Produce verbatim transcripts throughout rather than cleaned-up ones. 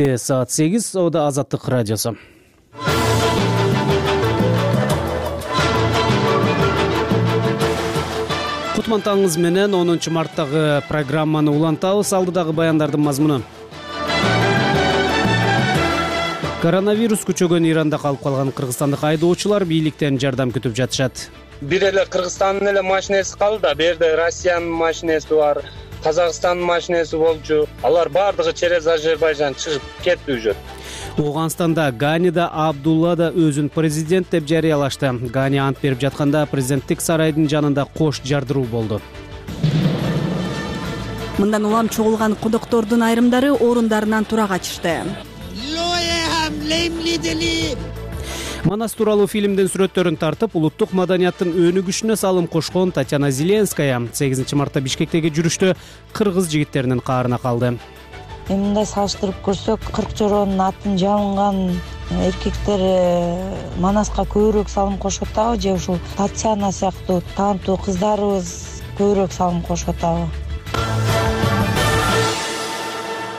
Саат сегиз, Ода Азаттык радиосу. Кутмантаңыз менен онунчу марттагы программаны улантабыз. Алдыдагы баяндардын мазмуну: коронавирус күчөгөн Иранда калып калган кыргызстандык айдоочулар бийликтен жардам күтүп жатышат. Бир эле Кыргызстандын эле машинеси калды да, бу жерде Россиянын машинеси бар, Казакстандын машинеси болчу. Алар бардыгы через Азербайжан чыгып кетти уже. Ооганстанда Ганида Абдулла да өзүн президент деп жарыялашты. Гани ант берип жатканда президенттик сарайдын жанында кош жардыруу болду. Мындан улам чогулган кудуктордун айрымдары орундарынан тура качышты. Манас тууралуу фильмдин сүрөттөрүн тартып, улуттук маданияттын өнүгүшүнө салым кошкон Татьяна Зеленская сегизинчи мартта Бишкектеги жүрүштө кыргыз жигиттеринин каарына калды. Мындай салыштырып көрсөк, кырк жороонун атын жабынган эркектер Манаска көбүрөөк салым кошуп атабы, же ушул Татьяна сыяктуу таланттуу кыздарыбыз көбүрөөк салым кошуп атабы?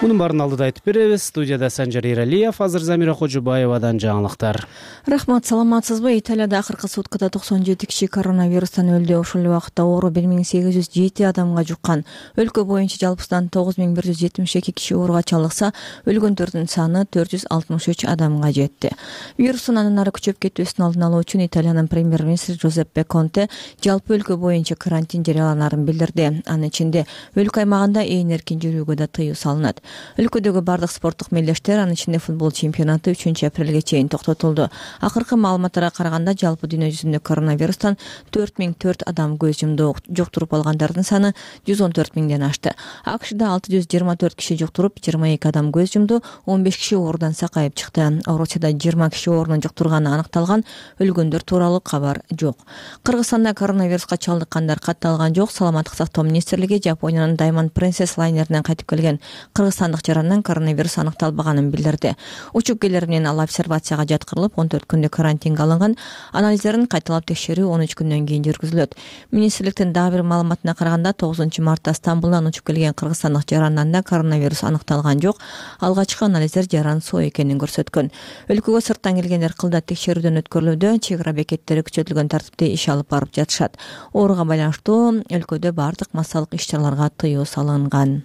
Мунун баарын алдыда айтып беребиз. Студияда Санжар Иралиев, азыр Замира Кожубаевадан жаңылыктар. Рахмат, саламатсызбы? Италияда акыркы суткада токсон жети киши коронавирустан өлдү. Ошол эле убакта оору бир миң сегиз жүз жети адамга жуккан. Өлкө боюнча жалпысынан тогуз миң бир жүз жетимиш эки киши ооруга чалдыкса, өлгөндөрдүн саны төрт жүз алтымыш үч адамга жетти. Вирустун андан ары күчөп кетүүсүн алдын алуу үчүн Италиянын премьер-министри Джузеппе Конте жалпы өлкө боюнча карантин жарыяланаарын билдирди. Анын ичинде өлкө аймагында ээн эркин жүрүүгө да тыюу салынат. Өлкөдөгү бардык спорттук мелдештер, анын ичинде футбол чемпионаты үчүнчү апрелге чейин токтотулду. Акыркы маалыматтарга караганда жалпы дүйнө жүзүндө коронавирустан төрт миң төрт адам көз жумду. Жуктуруп алгандардын саны жүз он төрт миңден ашты. АКШда алты жүз жыйырма төрт киши жуктуруп, жыйырма эки адам көз жумду, он беш киши оорудан сакайып чыкты. Орусияда жыйырма киши оорунун жуктурганы аныкталган, өлгөндөр тууралуу кабар жок. Кыргызстанда коронавируска чалдыккандар катталган жок. Саламаттык сактоо министрлиги Жапониянын Diamond Princess лайнеринен кайтып келген кыргызстандык жарандан коронавирус аныкталбаганын билдирди. Учуп келер менен ал обсервацияга жаткырылып, он төрт күндүк карантинге алынган. Анализдерин кайталап текшерүү он үч күндөн кийин жүргүзүлөт. Министрликтин дагы бир маалыматына караганда, тогузунчу мартта Стамбулдан учуп келген кыргызстандык жарандан да коронавирус аныкталган жок. Алгачкы анализдер жаран соо экенин көрсөткөн. Өлкөгө сырттан келгендер кылда текшерүүдөн өткөрүлүүдө, чек ара бекеттери күчөтүлгөн тартипте иш алып барып жатышат. Ооруга байланыштуу өлкөдө бардык массалык иш-чараларга тыюу салынган.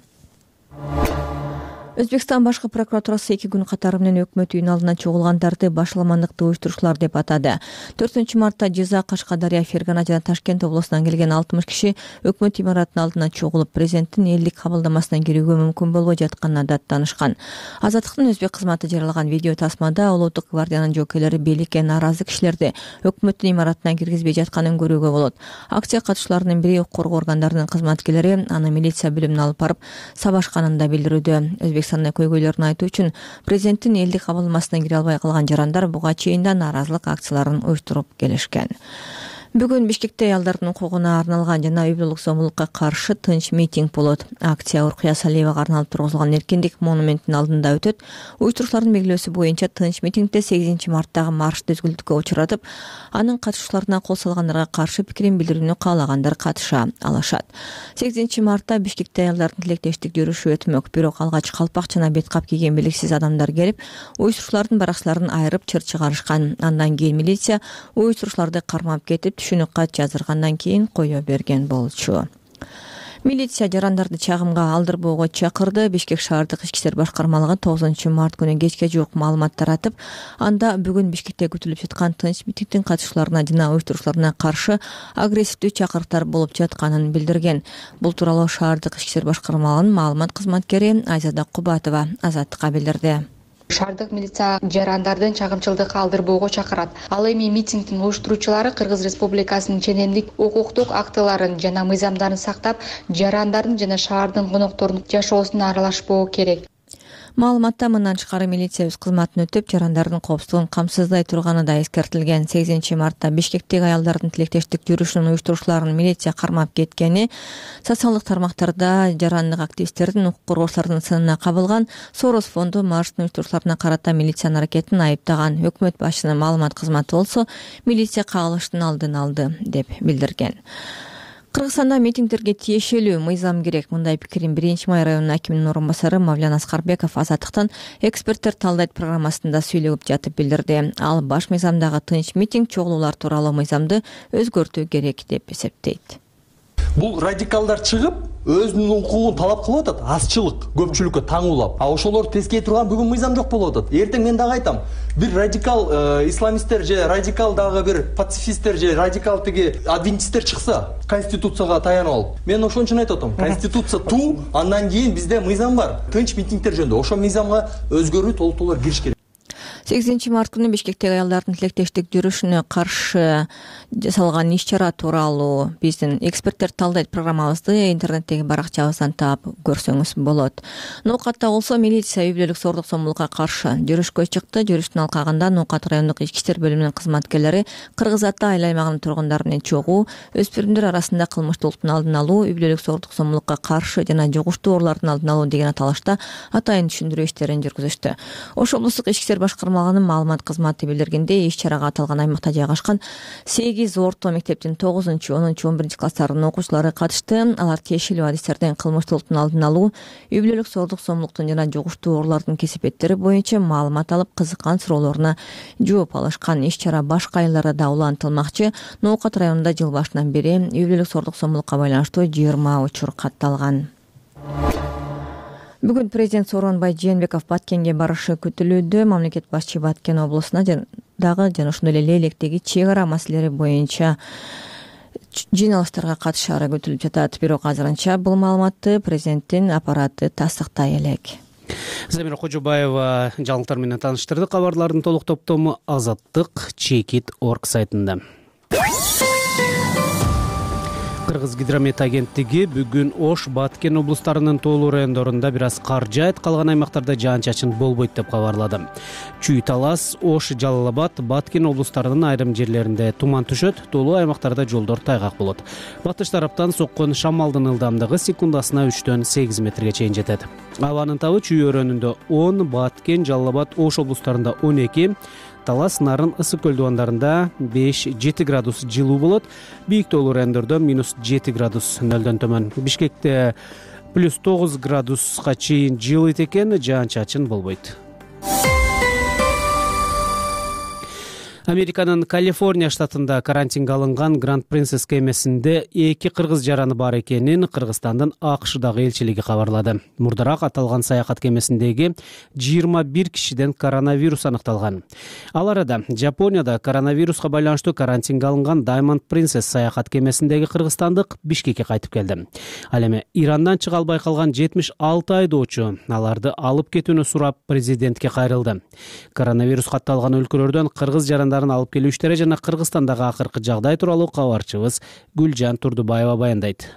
Өзбекстан башкы прокуратурасы эки күн катары менен өкмөт үйүнүн алдына чогулгандарды башаламандыкты уюштуруучулар деп атады. төртүнчү мартта Жиза, Кашкадария, Фергана жана Ташкент облусунан келген алтымыш киши өкмөт имаратынын алдына чогулуп, президенттин элдик кабылдамасына кирүүгө мүмкүн болбой жатканына даттанышкан. Азаттыктын өзбек кызматы жарыялаган видео тасмада Улуттук гвардиянын жоокейлери бийликке нааразы кишилерди өкмөттүн имаратына киргизбей жатканын көрүүгө болот. Акция катышууларынын бири укук коргоо органдарынын кызматкерлери аны милиция бөлүмүнө алып барып сабашканын да билдирүүдө. Өзбекстанда көйгөйлөрүн айтуу үчүн президенттин элдик кабылдамасына кире албай калган жарандар буга чейин да нааразылык акцияларын уюштуруп келишкен. Бүгүн Бишкекте аялдардын укугуна арналган жана үй бүлөлүк зомбулукка каршы тынч митинг болот. Акция Уркуя Салиевага арналып тургузулган Эркиндик монументинин алдында өтөт. Уюштуруучулардын белгилөөсү боюнча тынч митингде сегизинчи марттагы маршты өзгөлтүүгө учуратып, анын катышуучуларына кол салгандарга каршы пикирин билдирүүнү каалагандар катыша алышат. сегизинчи мартта Бишкекте аялдардын тилектештик жүрүшү өтмөк, бирок алгач калпак жана бет кап кийген белгисиз адамдар келип, уюштуруучулардын баракчаларын айырып чыр чыгарышкан. Андан кийин милиция уюштуруучуларды кармап кетип, түшүнүк кат жаздыргандан кийин кое берген болчу. Милиция жарандарды чагымга алдырбоого чакырды. Бишкек шаардык ички иштер башкармалыгы тогузунчу март күнү кечке жуук маалымат таратып, анда бүгүн Бишкекте күтүлүп жаткан тынч митингдин катышууларына жана уюштуруучуларына каршы агрессивдүү чакырыктар болуп жатканын билдирген. Бул тууралуу шаардык ички иштер башкармалыгынын маалымат кызматкери Айзада Кубатова Азаттыкка билдирди. Шаардык милиция жарандардын чагымчылдыкка алдырбоого чакырат. Ал эми митингдин уюштуруучулары Кыргыз Республикасынын ченемдик укуктук актыларын жана мыйзамдарын сактап, жарандардын жана шаардын конокторунун жашоосуна аралашпоо керек. Маалыматта мындан тышкары милиция өз кызматын өтөп, жарандардын коопсуздугун камсыздай турганы да эскертилген. сегизинчи мартта Бишкектеги аялдардын тилектештик жүрүшүнүн уюштуруучуларын милиция кармап кеткени, социалдык тармактарда жарандык активисттердин, укук коргоочулардын сынына кабылган. Сорос фонду марштын уюштуруучуларына карата милициянын аракетин айыптаган. Өкмөт башчысынын маалымат кызматы болсо, милиция кагылыштын алдын алды деп билдирген. Кыргызстанда митингдерге тиешелүү мыйзам керек. Мындай пикирин биринчи май районунун акиминин орун басары Мавлян Аскарбеков Азаттыктан эксперттер талдайт программасында сүйлөп жатып билдирди. Ал баш мыйзамдагы тынч митинг чогулуулар тууралуу мыйзамды өзгөртүү керек деп эсептейт. Бул радикалдар чыгып, өзүнүн укугун талап кылып атат, азчылык көпчүлүккө таңуулап. А ошолорду тескей турган бүгүн мыйзам жок болуп атат. Эртең мен дагы айтам, бир радикал э, исламисттер же радикал дагы бир пацифисттер же радикал тиги адвентисттер чыкса, конституцияга таянып алып. Мен ошон үчүн айтып атам, конституция туу, андан кийин бизде мыйзам бар. Тынч митингдер жөнүндө ошол мыйзамга өзгөрүү толуктоолор кириш керек. сегизинчи март күнү Бишкектеги аялдардын тилектештик жүрүшүнө каршы жасалган иш-чара тууралуу биздин эксперттер талдайт программабызды интернеттеги баракчабыздан таап көрсөңүз болот. Ноокатта болсо милиция үй бүлөлүк зордук зомбулукка каршы жүрүшкө чыкты. Жүрүштүн алкагында Ноокат райондук ички иштер бөлүмүнүн кызматкерлери Кыргыз Ата айыл аймагынын тургундары менен чогуу, өспүрүмдөр арасында кылмыштуулуктун алдын алуу, үй бүлөлүк зордук зомбулукка каршы жана жугуштуу оорулардын алдын алуу деген аталышта атайын түшүндүрүү иштерин жүргүзүштү. Ош облустук ички иштер башкармалыгынын маалымат кызматы билдиргендей, иш-чарага аталган аймакта жайгашкан сегиз орто мектептин тогузунчу, онунчу, он биринчи класстарынын окуучулары катышты. Алар тиешелүү адистерден кылмыштуулуктун алдын алуу, үй бүлөлүк зордук зомбулуктун жана жугуштуу оорулардын кесипеттери боюнча маалымат алып, кызыккан суроолоруна жооп алышкан. Иш-чара башка айылдарда да улантылмакчы. Ноокат районунда жыл башынан бери үй бүлөлүк зордук зомбулукка байланыштуу жыйырма учур катталган. Бүгүн президент Сооронбай Жээнбеков Баткенге барышы күтүлүүдө. Мамлекет башчы Баткен облусуна дагы жана ошондой эле Лейлектеги чек ара маселелери боюнча жыйналыштарга катышаары күтүлүп жатат. Бирок азырынча бул маалыматты президенттин аппараты тастыктай элек. Замира Кожобаева жаңылыктар менен тааныштырды. Кабарлардын толук топтому Азаттык Чекит точка орг сайтында. Кыргыз гидромет агенттиги бүгүн Ош, Баткен облустарынын тоолуу райондорунда бир аз кар жаайт, калган аймактарда жаан-чачын болбойт деп кабарлады. Чүй, Талас, Ош, Жалал Абад, Баткен облустарынын айрым жерлеринде туман түшөт, тоолуу аймактарда жолдор тайгак болот. Батыш тараптан соккон шамалдын ылдамдыгы секундасына үчтөн сегиз метрге чейин жетет. Абанын табы Чүй өрөөнүндө он, Баткен, Жалал Абад, Ош облустарында он эки, Талас, Нарын, Ысык көл дубандарында беш жети градус жылуу болот. Бийик тоолуу райондордо минус жети градус нөлдөн төмөн. Бишкекте плюс тогуз градуска чейин жылыйт экен, жаан-чачын болбойт. Американын Калифорния штатында карантинге алынган Гранд Принцесс кемесинде эки кыргыз жараны бар экенин Кыргызстандын АКШдагы элчилиги кабарлады. Мурдараак аталган саякат кемесиндеги жыйырма бир кишиден коронавирус аныкталган. Ал арада Жапонияда коронавируска байланыштуу карантинге алынган Diamond Princess саякат кемесиндеги кыргызстандык Бишкекке кайтып келди. Ал эми Ирандан чыга албай калган жетимиш алты айдоочу аларды алып кетүүнү сурап президентке кайрылды. Коронавирус катталган өлкөлөрдөн кыргыз жарандары алып келүү иштери жана Кыргызстандагы акыркы жагдай тууралуу кабарчыбыз Гүлжан Турдубаева баяндайт.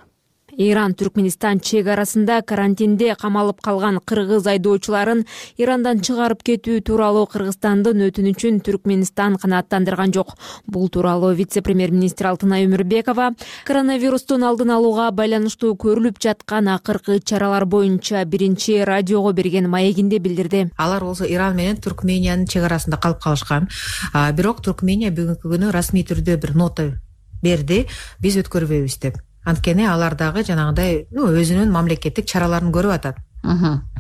Иран Түркменистан чек арасында карантинде камалып калган кыргыз айдоочуларын Ирандан чыгарып кетүү тууралуу Кыргызстандын өтүнүчүн Түркменистан канааттандырган жок. Бул тууралуу вице-премьер-министр Алтынай Өмүрбекова коронавирустун алдын алууга байланыштуу көрүлүп жаткан акыркы чаралар боюнча биринчи радиого берген маегинде билдирди. Алар болсо Иран менен Түркмениянын чек арасында калып калышкан. Бирок Түркмения бүгүнкү күнү расмий түрдө бир нота берди, биз өткөрбөйбүз деп. Анткени алар дагы жанагындай өзүнүн мамлекеттик чараларын көрүп атат.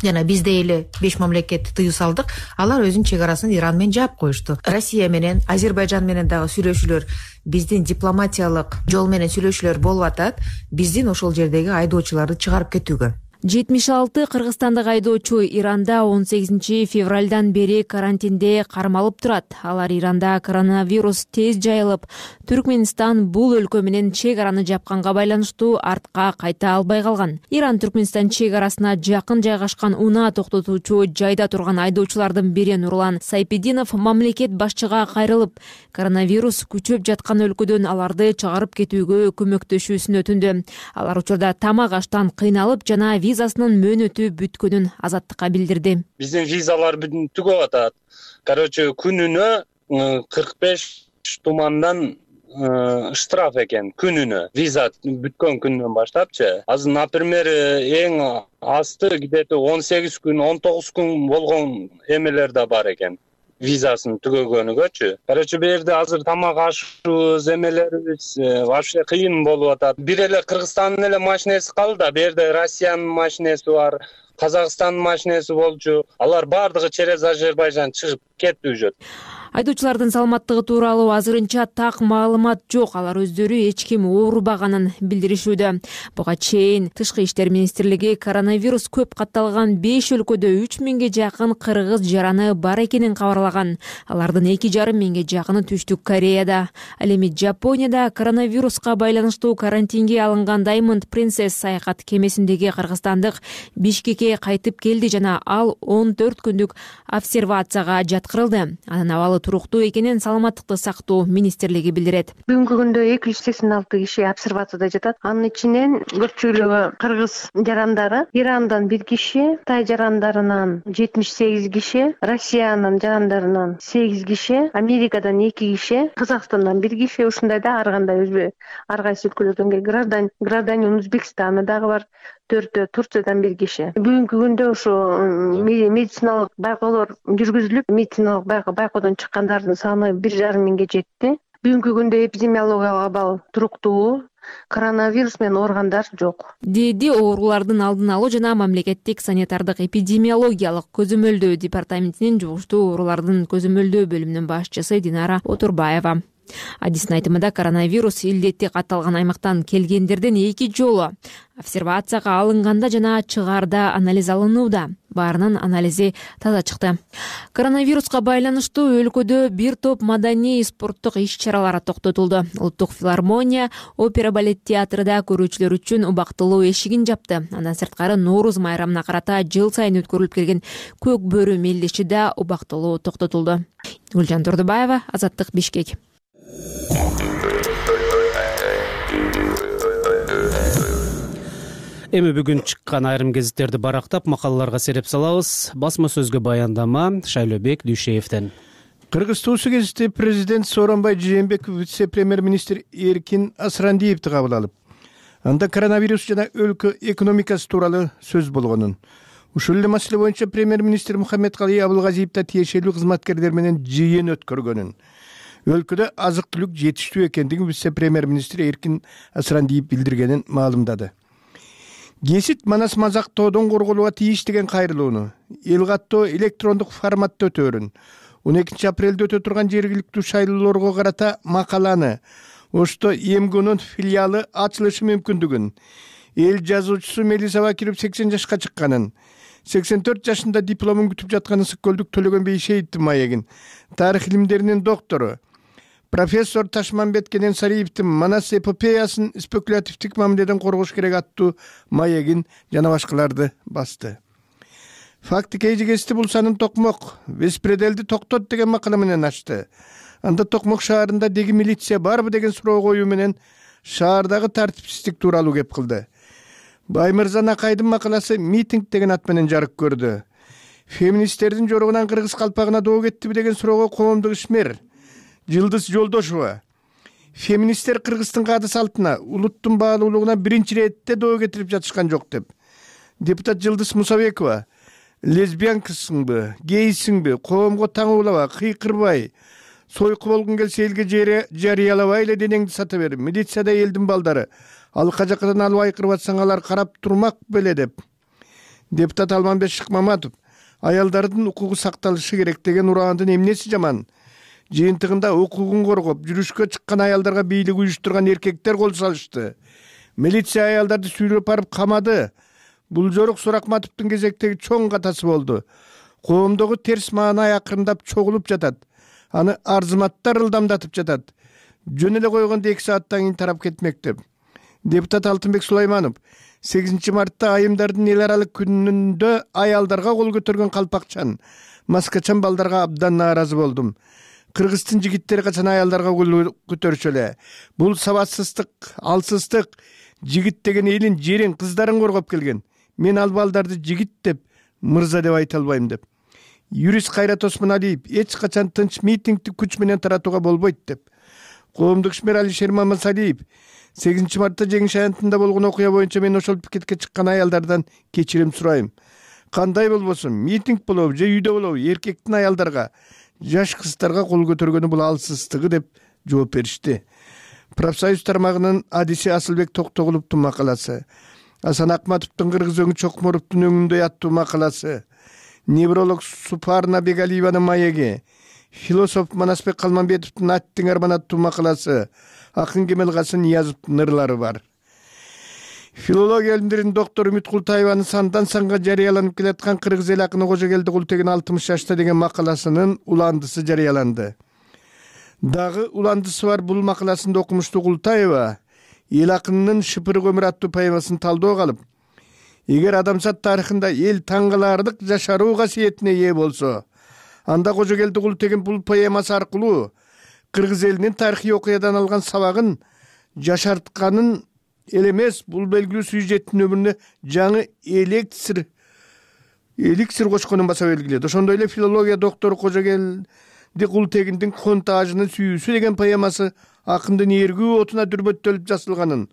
Жана биз дейли беш мамлекетти тыюу салдык, алар өзүнүн чек арасын Иран менен жаап коюшту. Россия менен, Азербайжан менен дагы сүйлөшүүлөр, биздин дипломатиялык жол менен сүйлөшүүлөр болуп атат, биздин ошол жердеги айдоочуларды чыгарып кетүүгө. жетимиш алты кыргызстандык айдоочу Иранда он сегизинчи февралдан бери карантинде кармалып турат. Алар Иранда коронавирус тез жайылып, Түркменистан бул өлкө менен чек араны жапканга байланыштуу артка кайта албай калган. Иран Түркменистан чек арасына жакын жайгашкан унаа токтотуучу жайда турган айдоочулардын бири Нурлан Сайпединов мамлекет башчыга кайрылып, коронавирус күчөп жаткан өлкөдөн аларды чыгарып кетүүгө көмөктөшүүсүн өтүндү. Алар учурда тамак аштан кыйналып жана визасынын мөөнөтү бүткөнүн Азаттыкка билдирди. Биздин визалар бүтүп атат. Короче, күнүнө кырк беш тумандан штраф экен, күнүнө. Виза бүткөн күндөн баштапчы. Азыр, например, эң асты где-то он сегиз күн, он тогуз күн болгон эмелер да бар экен. визасын түгөгөнүгөчү. Короче бул жерде азыр тамак ашыбыз, эмелерибиз вообще кыйын болуп атат. Бир эле Кыргызстандын эле машинеси калды да, бул жерде Россиянын машинеси бар, Казакстандын машинеси болчу. Алар баардыгы через Азербайжан чыгып кетти уже. Айдоочулардын саламаттыгы тууралуу азырынча так маалымат жок. Алар өздөрү эч ким оорубаганын билдиришүүдө. Буга чейин Тышкы иштер министрлиги коронавирус көп катталган беш өлкөдө үч миңге жакын кыргыз жараны бар экенин кабарлаган. Алардын эки жарым миңге жакыны Түштүк Кореяда. Ал эми Жапонияда коронавируска байланыштуу карантинге алынган Diamond Princess саякат кемесиндеги кыргызстандык Бишкекке кайтып келди жана ал он төрт күндүк обсервацияга жаткырылды. Анын абалы туруктуу экенин Саламаттыкты сактоо министрлиги билдирет. Бүгүнкү күндө эки жүз сексен алты киши обсервацияда жатат. Анын ичинен көпчүлүгү кыргыз жарандары, Ирандан бир киши, Тай жарандарынан жетимиш сегиз киши, Россиянын жарандарынан сегиз киши, Америкадан эки киши, Казакстандан бир киши, ушундай да ар кандай өзбө ар кайсы өлкөлөрдөн келген граждан гражданин Өзбекстана дагы бар, төртөө Турциядан бир киши. Бүгүнкү күндө ушу медициналык байкоолор жүргүзүлүп, медициналык байкоодон чыккандардын саны бир жарым миңге жетти. Бүгүнкү күндө эпидемиологиялык абал туруктуу, коронавирус менен ооругандар жок, деди оорулардын алдын алуу жана мамлекеттик санитардык эпидемиологиялык көзөмөлдөө департаментинин жугуштуу оорулардын көзөмөлдөө бөлүмүнүн башчысы Динара Отурбаева. Адистин айтымында коронавирус илдети катталган аймактан келгендерден эки жолу обсервацияга алынганда жана чыгаарда анализ алынууда. Баарынын анализи таза чыкты. Коронавируска байланыштуу өлкөдө бир топ маданий спорттук иш-чаралар токтотулду. Улуттук филармония, опера балет театрыда көрүүчүлөр үчүн убактылуу эшигин жапты. Андан сырткары Нооруз майрамына карата жыл сайын өткөрүлүп келген көк бөрү мелдеши да убактылуу токтотулду. Гүлжан Турдубаева, Азаттык, Бишкек. Эми бүгүн чыккан айрым гезиттерди барактап макалаларга сереп салабыз. Басма сөзгө баяндама Шайлообек Дүйшеевден. Кыргыз туусу гезити президент Сооронбай Жээнбеков вице-премьер-министр Эркин Асрандиевди кабыл алып, анда коронавирус жана өлкө экономикасы тууралуу сөз болгонун, ушул эле маселе боюнча премьер-министр Мухаммедкалый Абылгазиев да тиешелүү кызматкерлер менен жыйын өткөргөнүн, өлкөдө азык-түлүк жетиштүү экендигин вице-премьер-министр Эркин Асрандиев билдиргенин маалымдады. Гесит Манас Мазак тоодон корголууга тийиш деген кайрылууну эл каттоо электрондук форматта өтөөрүн, он экинчи апрелде өтө турган жергиликтүү шайлоолорго карата макаланы, ошто ЭМГУнун филиалы ачылышы мүмкүндүгүн, эл жазуучусу Мелиса Бакиров сексен жашка чыкканын, сексен төрт жашында дипломун күтүп жаткан Ысык-Көлдүк Төлөгөн Бейшеевдин маегин, тарых илимдеринин доктору профессор Ташмамбет Кененсариевдин Манас эпопеясын спекулятивдик мамиледен коргош керек аттуу маегин жана башкаларды басты. Факты кейжи гезити бул санын Токмок беспределди токтот деген макала менен ачты. Анда Токмок шаарында деги милиция барбы деген суроо коюу менен шаардагы тартипсиздик тууралуу кеп кылды. Баймырза Накайдын макаласы митинг деген ат менен жарык көрдү. Феминисттердин жоругунан кыргыз калпагына доо кеттиби деген суроого коомдук ишмер Жылдыз Жолдошова, феминисттер Кыргыздын каады салтына, улуттун баалуулугуна биринчи иретте доо кетирип жатышкан жок деп. Депутат Жылдыз Мусабекова, лесбиянкасыңбы, гейсиңби, коомго таңуулаба, кыйкырбай, сойку болгун келсе элге жарыялабай эле денеңди сата бер. Милицияда элдин балдары, ал кажакадан алып айкырып атсаң алар карап турмак беле деп. Депутат Алманбек Шыкмаматов, аялдардын укугу сакталышы керек деген ураандын эмнеси жаман? Жыйынтыгында укугун коргоп, жүрүшкө чыккан аялдарга бийлик уюштурган эркектер кол салышты. Милиция аялдарды сүйрөп барып камады. Бул жорук Суракматовдун кезектеги чоң катасы болду. Коомдогу терс маанай акырындап чогулуп жатат. Аны арзыматтар ылдамдатып жатат. Жөн эле койгондо эки сааттан кийин тарап кетмек деп. Депутат Алтынбек Сулайманов сегизинчи мартта айымдардын эл аралык күнүндө аялдарга кол көтөргөн калпакчан, маскачан балдарга абдан нааразы болдум. Кыргыздын жигиттери качан аялдарга кол көтөрчү эле. Бул сабатсыздык, алсыздык. Жигит деген элин, жерин, кыздарын коргоп келген. Мен ал балдарды жигит деп, мырза деп айта албайм деп. Юрист Кайрат Осмоналиев эч качан тынч митингди күч менен таратууга болбойт деп. Коомдук ишмер Алишер Мамасалиев сегизинчи мартта Жеңиш аянтында болгон окуя боюнча мен ошол пикетке чыккан аялдардан кечирим сурайм. Кандай болбосун, митинг болобу же үйдө болобу, эркектин аялдарга жаш кыздарга кол көтөргөнү бул алсыздыгы деп жооп беришти. Профсоюз тармагынын адиси Асылбек Токтогуловдун макаласы, Асан Акматовдун Кыргыз өңү Чокморовдун өңүндөй аттуу макаласы, невролог Супарна Бегалиеванын маеги, философ Манасбек Калманбетовдун Аттың арман аттуу макаласы, акын Кемелкасым Ниязовдун ырлары бар. Филология илимдеринин доктору Үмүт Култаеванын сандан санга жарыяланып келаткан кыргыз эл акыны Кожокелди Култеген алтымыш жашта деген макаласынын уландысы жарыяланды. Дагы уландысы бар бул макаласында окумуштуу Култаева эл акынынын Шыпырык өмүр аттуу поэмасын талдоого алып, эгер адамзат тарыхында эл таң каларлык жашаруу касиетине ээ болсо, анда Кожокелди Култеген бул поэмасы аркылуу кыргыз элинин тарыхый окуядан алган сабагын жашартканын эл эмес, бул белгилүү сюжеттин өмүрүнө жаңы эликсир эликсир кочконун баса белгилейт. Ошондой эле филология доктору Кожокелди Култегиндин Контажынын сүйүүсү деген поэмасы акындын эргүү отуна дүрбөттөлүп жасалганын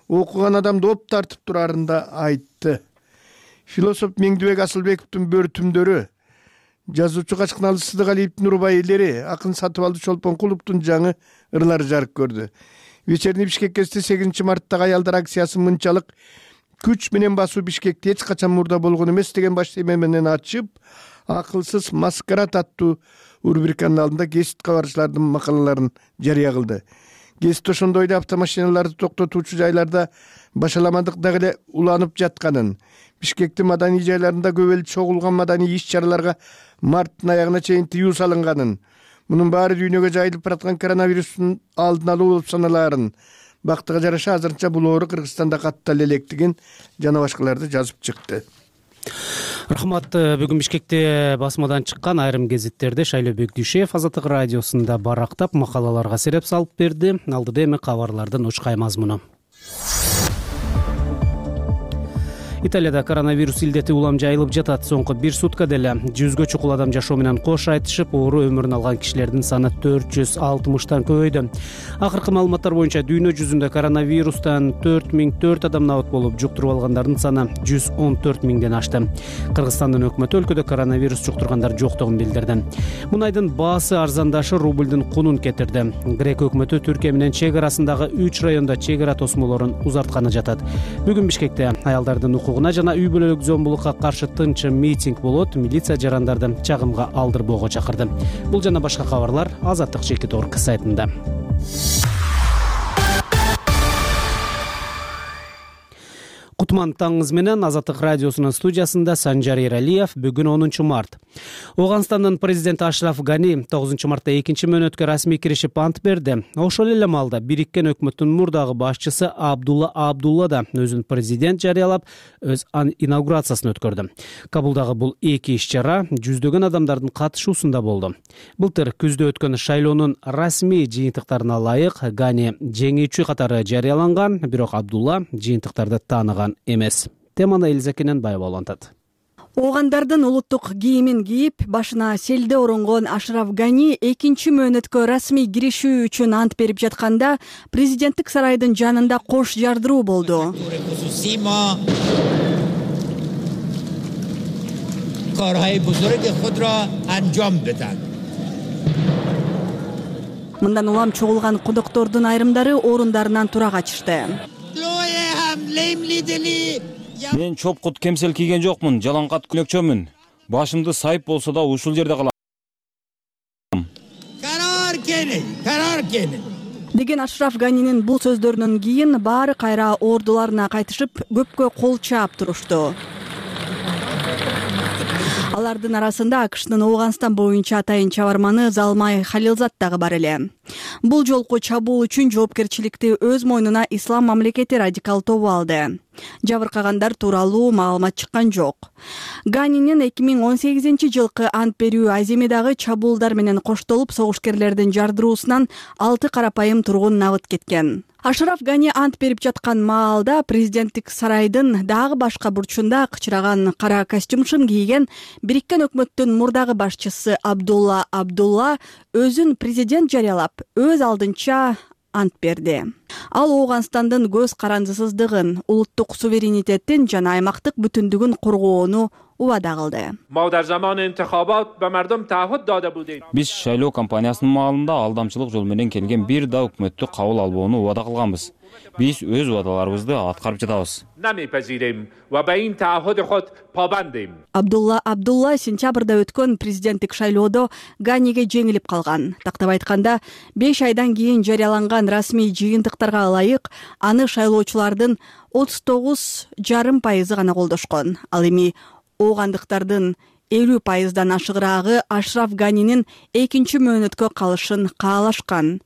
окуган адамды оп тартып турарын да айтты. Философ Меңдибек Асылбековдун Бөртүмдөрү, жазуучу Качкыналы Сыдыгалиевдин урбай-элери, акын Сатыбалды Чолпонкуловдун жаңы ырлары жарык көрдү. Вечерний Бишкек гезити сегизинчи марттагы аялдар акциясы мынчалык күч менен басуу Бишкекте эч качан мурда болгон эмес деген баш теме менен ачып, акылсыз маскарад аттуу рубриканын алдында гезит кабарчылардын макалаларын жарыя кылды. Гезит ошондой эле автомашиналарды токтотуучу жайларда башаламандык дагы эле уланып жатканын, Бишкектин маданий жайларында көп эл чогулган маданий иш-чараларга марттын аягына чейин тыюу салынган, мунун баары дүйнөгө жайылып бараткан коронавирустун алдын алуу болуп саналаарын, бактыга жараша азырынча бул оору Кыргызстанда каттал электигин жана башкаларды жазып чыкты. Рахмат. Бүгүн Бишкекте басмадан чыккан айрым гезиттерди Шайлообек Дүйшеев Азаттык радиосунда барактап макалаларга сереп салып берди. Алдыда эми кабарлардын учкай мазмуну. Италияда коронавирус илдети улам жайылып жатат. Соңку бир суткада эле жүзгө чукул адам жашоо менен кош айтышып, оору өмүрүн алган кишилердин саны төрт жүз алтымыштан көбөйдү. Акыркы маалыматтар боюнча дүйнө жүзүндө коронавирустан төрт миң төрт адам набыт болуп, жуктуруп алгандардын саны жүз он төрт миңден ашты. Кыргызстандын өкмөтү өлкөдө коронавирус жуктургандар жоктугун билдирди. Мунайдын баасы арзандашы рублдун кунун кетирди. Грек өкмөтү Түркия менен чек арасындагы үч райондо чек ара тосмолорун узартканы жатат. Бүгүн Бишкекте аялдардын укугуна жана үй бүлөлүк зомбулукка каршы тынчы митинг болот. Милиция жарандарды чагымга алдырбоого чакырды. Бул жана башка кабарлар Азаттык чекит орг сайтында. Кутман таңыңыз менен Азаттык радиосунун студиясында Санжар Эралиев. Бүгүн онунчу март. Ооганстандын президенти Ашраф Гани тогузунчу мартта экинчи мөөнөткө расмий киришип ант берди. Ошол эле маалда бириккен өкмөттүн мурдагы башчысы Абдулла Абдулла да өзүн президент жарыялап, өз инаугурациясын өткөрдү. Кабулдагы бул эки иш-чара жүздөгөн адамдардын катышуусунда болду. Былтыр күздө өткөн шайлоонун расмий жыйынтыктарына ылайык Гани жеңүүчү катары жарыяланган, бирок Абдулла жыйынтыктарды тааныган эмес. Теманы Элизакенен байып улантат. Оогандардын улуттук кийимин кийип, башына селде оронгон Ашраф Гани экинчи мөөнөткө расмий киришүү үчүн ант берип жатканда президенттик сарайдын жанында кош жардыруу болду. Мындан улам чогулган кудоктордун айрымдары орундарынан тура качышты. Мен чопкут кемсел кийген жокмун, жалаңкат күлөкчөмүн. Башымды сайып болсо да ушул жерде калам. Карар кени, карар кени. Деген Ашраф Ганинин бул сөздөрүнөн кийин баары кайра ордуларына кайтышып, көпкө кол чаап турушту. Алардын арасында АКШнын Ооганстан боюнча атайын чабарманы Залмай Халилзат дагы бар эле. Бул жолку чабуул үчүн жоопкерчиликти өз мойнуна Ислам мамлекети радикал тобу алды. Жабыркагандар тууралуу маалымат чыккан жок. Ганинин эки миң он сегизинчи жылкы ант берүү аземи дагы чабуулдар менен коштолуп, согушкерлердин жардыруусунан алты карапайым тургун набыт кеткен. Ашраф Гани ант берип жаткан маалда президенттик сарайдын дагы башка бурчунда кычыраган кара костюмшын кийген бириккен өкмөттүн мурдагы башчысы Абдулла Абдулла өзүн президент жарыялап, өз алдынча ант берди. Ал Ооганстандын көз карандысыздыгын, улуттук суверенитеттин жана аймактык бүтүндүгүн коргоону убада кылды. Биз шайлоо кампаниясынын маалында алдамчылык жол менен келген бир да өкмөттү кабыл албоону убада кылганбыз. Биз өз убадаларыбызды аткарып жатабыз. Абдулла Абдулла сентябрда өткөн президенттик шайлоодо Ганиге жеңилип калган. Тактап айтканда, беш айдан кийин жарыяланган расмий жыйынтыктарга ылайык аны шайлоочулардын отуз тогуз жарым пайызы гана колдошкон. Ал эми оогандыктардын элүү пайыздан ашыгыраагы Ашраф Ганинин экинчи мөөнөткө калышын каалашкан.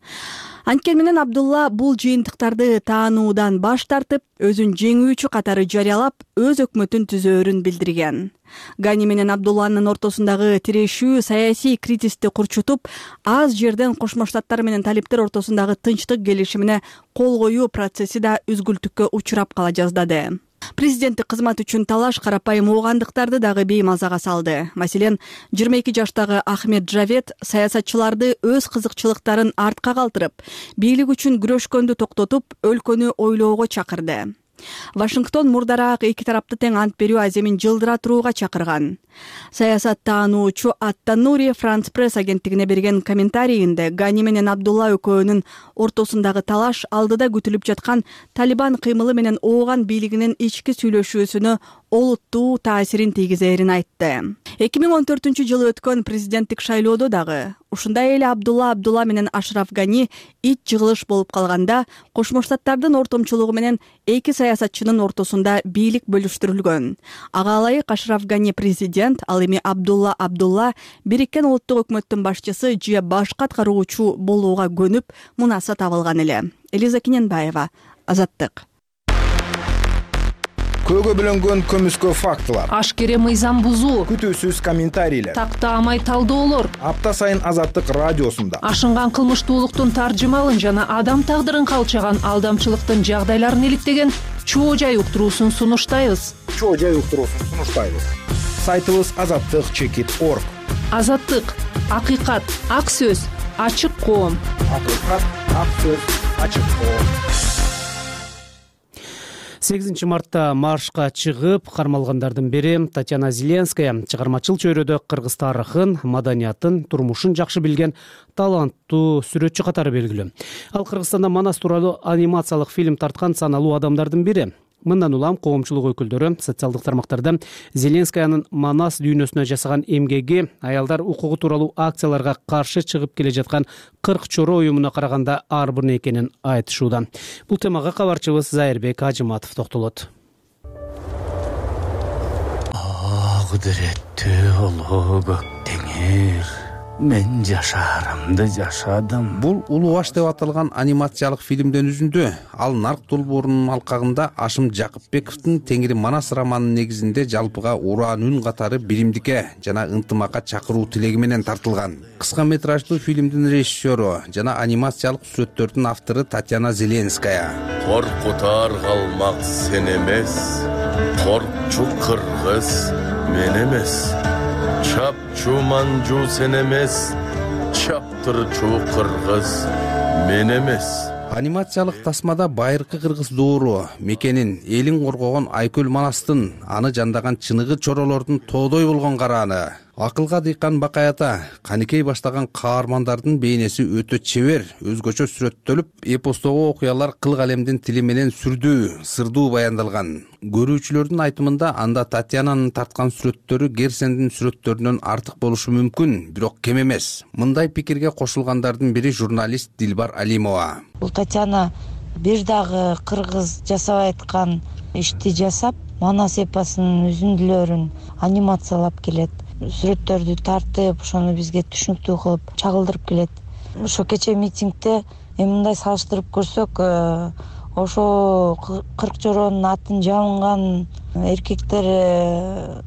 Анткени менен Абдулла бул жыйынтыктарды таануудан баш тартып, өзүн жеңүүчү катары жарыялап, өз өкмөтүн түзөөрүн билдирген. Гани менен Абдулланын ортосундагы тирешүү саясий кризисти курчутуп, аз жерден Кошмо Штаттар менен талиптер ортосундагы тынчтык келишимине кол коюу процесси да үзгүлтүккө учурап кала жаздады. Президенттик кызмат үчүн талаш карапайым оогандыктарды дагы беймазага салды. Маселен, жыйырма эки жаштагы Ахмед Джавед саясатчыларды өз кызыкчылыктарын артка калтырып, бийлик үчүн күрөшкөндү токтотуп, өлкөнү ойлоого чакырды. Вашингтон мурдараак эки тарапты тең ант берүү аземин жылдыра турууга чакырган. Саясат таануучу Ат-Танури Франс Пресс агенттигине берген комментарийинде Гани менен Абдулла экөөнүн ортосундагы талаш алдыда күтүлүп жаткан Талибан кыймылы менен ооган бийлигинин ички сүйлөшүүсүнө олуттуу таасирин тийгизерин айтты. эки миң он төртүнчү жылы өткөн президенттик шайлоодо дагы ушундай эле Абдулла Абдулла менен Ашраф Гани ит жыгылыш болуп калганда, Кошмо Штаттардын ортомчулугу менен эки саясатчынын ортосунда бийлик бөлүштүрүлгөн. Ага ылайык Ашраф Гани президент, ал эми Абдулла Абдулла бириккен улуттук өкмөттүн башчысы же башкы аткаруучу болууга көнүп, мунаса табылган эле. Элиза Киненбаева, Азаттык. Көөгө бөлөнгөн көмүскө фактылар, ашкере мыйзам бузуу, күтүүсүз комментарийлер, тактаамай талдоолор апта сайын Азаттык радиосунда ашынган кылмыштуулуктун таржымалын жана адам тагдырын калчаган алдамчылыктын жагдайларын иликтеген чоо жай уктуруусун сунуштайбыз. Чоо жай уктуруусун сунуштайбыз. Сайтыбыз азаттык чекит точка орг. Азаттык, акыйкат, ак сөз, ачык коом. Акыйкат, ак сөз, ачык коом. сегизинчи мартта маршка чыгып кармалгандардын бири Татьяна Зеленская чыгармачыл чөйрөдө кыргыз тарыхын, маданиятын, турмушун жакшы билген таланттуу сүрөтчү катары белгилүү. Ал Кыргызстанда Манас тууралуу анимациялык фильм тарткан саналуу адамдардын бири. Мындан улам коомчулук өкүлдөрү социалдык тармактарда Зеленскаянын Манас дүйнөсүнө жасаган эмгеги, аялдар укугу тууралуу акцияларга каршы чыгып келе жаткан кырк чоро уюмуна караганда ар бир экенин айтышууда. Бул темага кабарчыбыз Зайырбек Ажыматов токтолот. Кудуреттүү улуу көк теңир, мен жашаарымды жашадым. Бул Улуу аш деп аталган анимациялык фильмден үзүндү. Ал Нарк долбоорунун алкагында Ашым Жакыпбековдун Теңири Манас романынын негизинде жалпыга ураан үн катары биримдикке жана ынтымакка чакыруу тилеги менен тартылган. Кыска метраждуу фильмдин режиссеру жана анимациялык сүрөттөрдүн автору Татьяна Зеленская. Коркутар калмак сен эмес, коркчу кыргыз мен эмес. Чапчу манжу сен эмес, чаптырчу кыргыз мен эмес. Анимациялык тасмада байыркы кыргыз доору мекенин, элин коргогон Айкөл Манастын, аны жандаган чыныгы чоролордун тоодой болгон карааны, акылга дыйкан бакаята, каникей баштаган каармандардын бейнеси өтө чебер, өзгөчө сүрөттөлүп, эпостогу окуялар кыл калемдин тили менен сүрдүү, сырдуу баяндалган. Көрүүчүлөрдүн айтымында анда Татьянанын тарткан сүрөттөрү Герсендин сүрөттөрүнөн артык болушу мүмкүн, бирок кем эмес. Мындай пикирге кошулгандардын бири журналист Дилбар Алимова. Бул Татьяна бир дагы кыргыз жасап айткан ишти жасап, Манас эпосунун үзүндүлөрүн анимациялап келет. Сүрөттөрдү тартып, ошону бизге түшүнүктүү кылып чагылдырып келет. Ошо кече митингде эми мындай салыштырып көрсөк, ошо кырк жоронун атын жабынган эркектер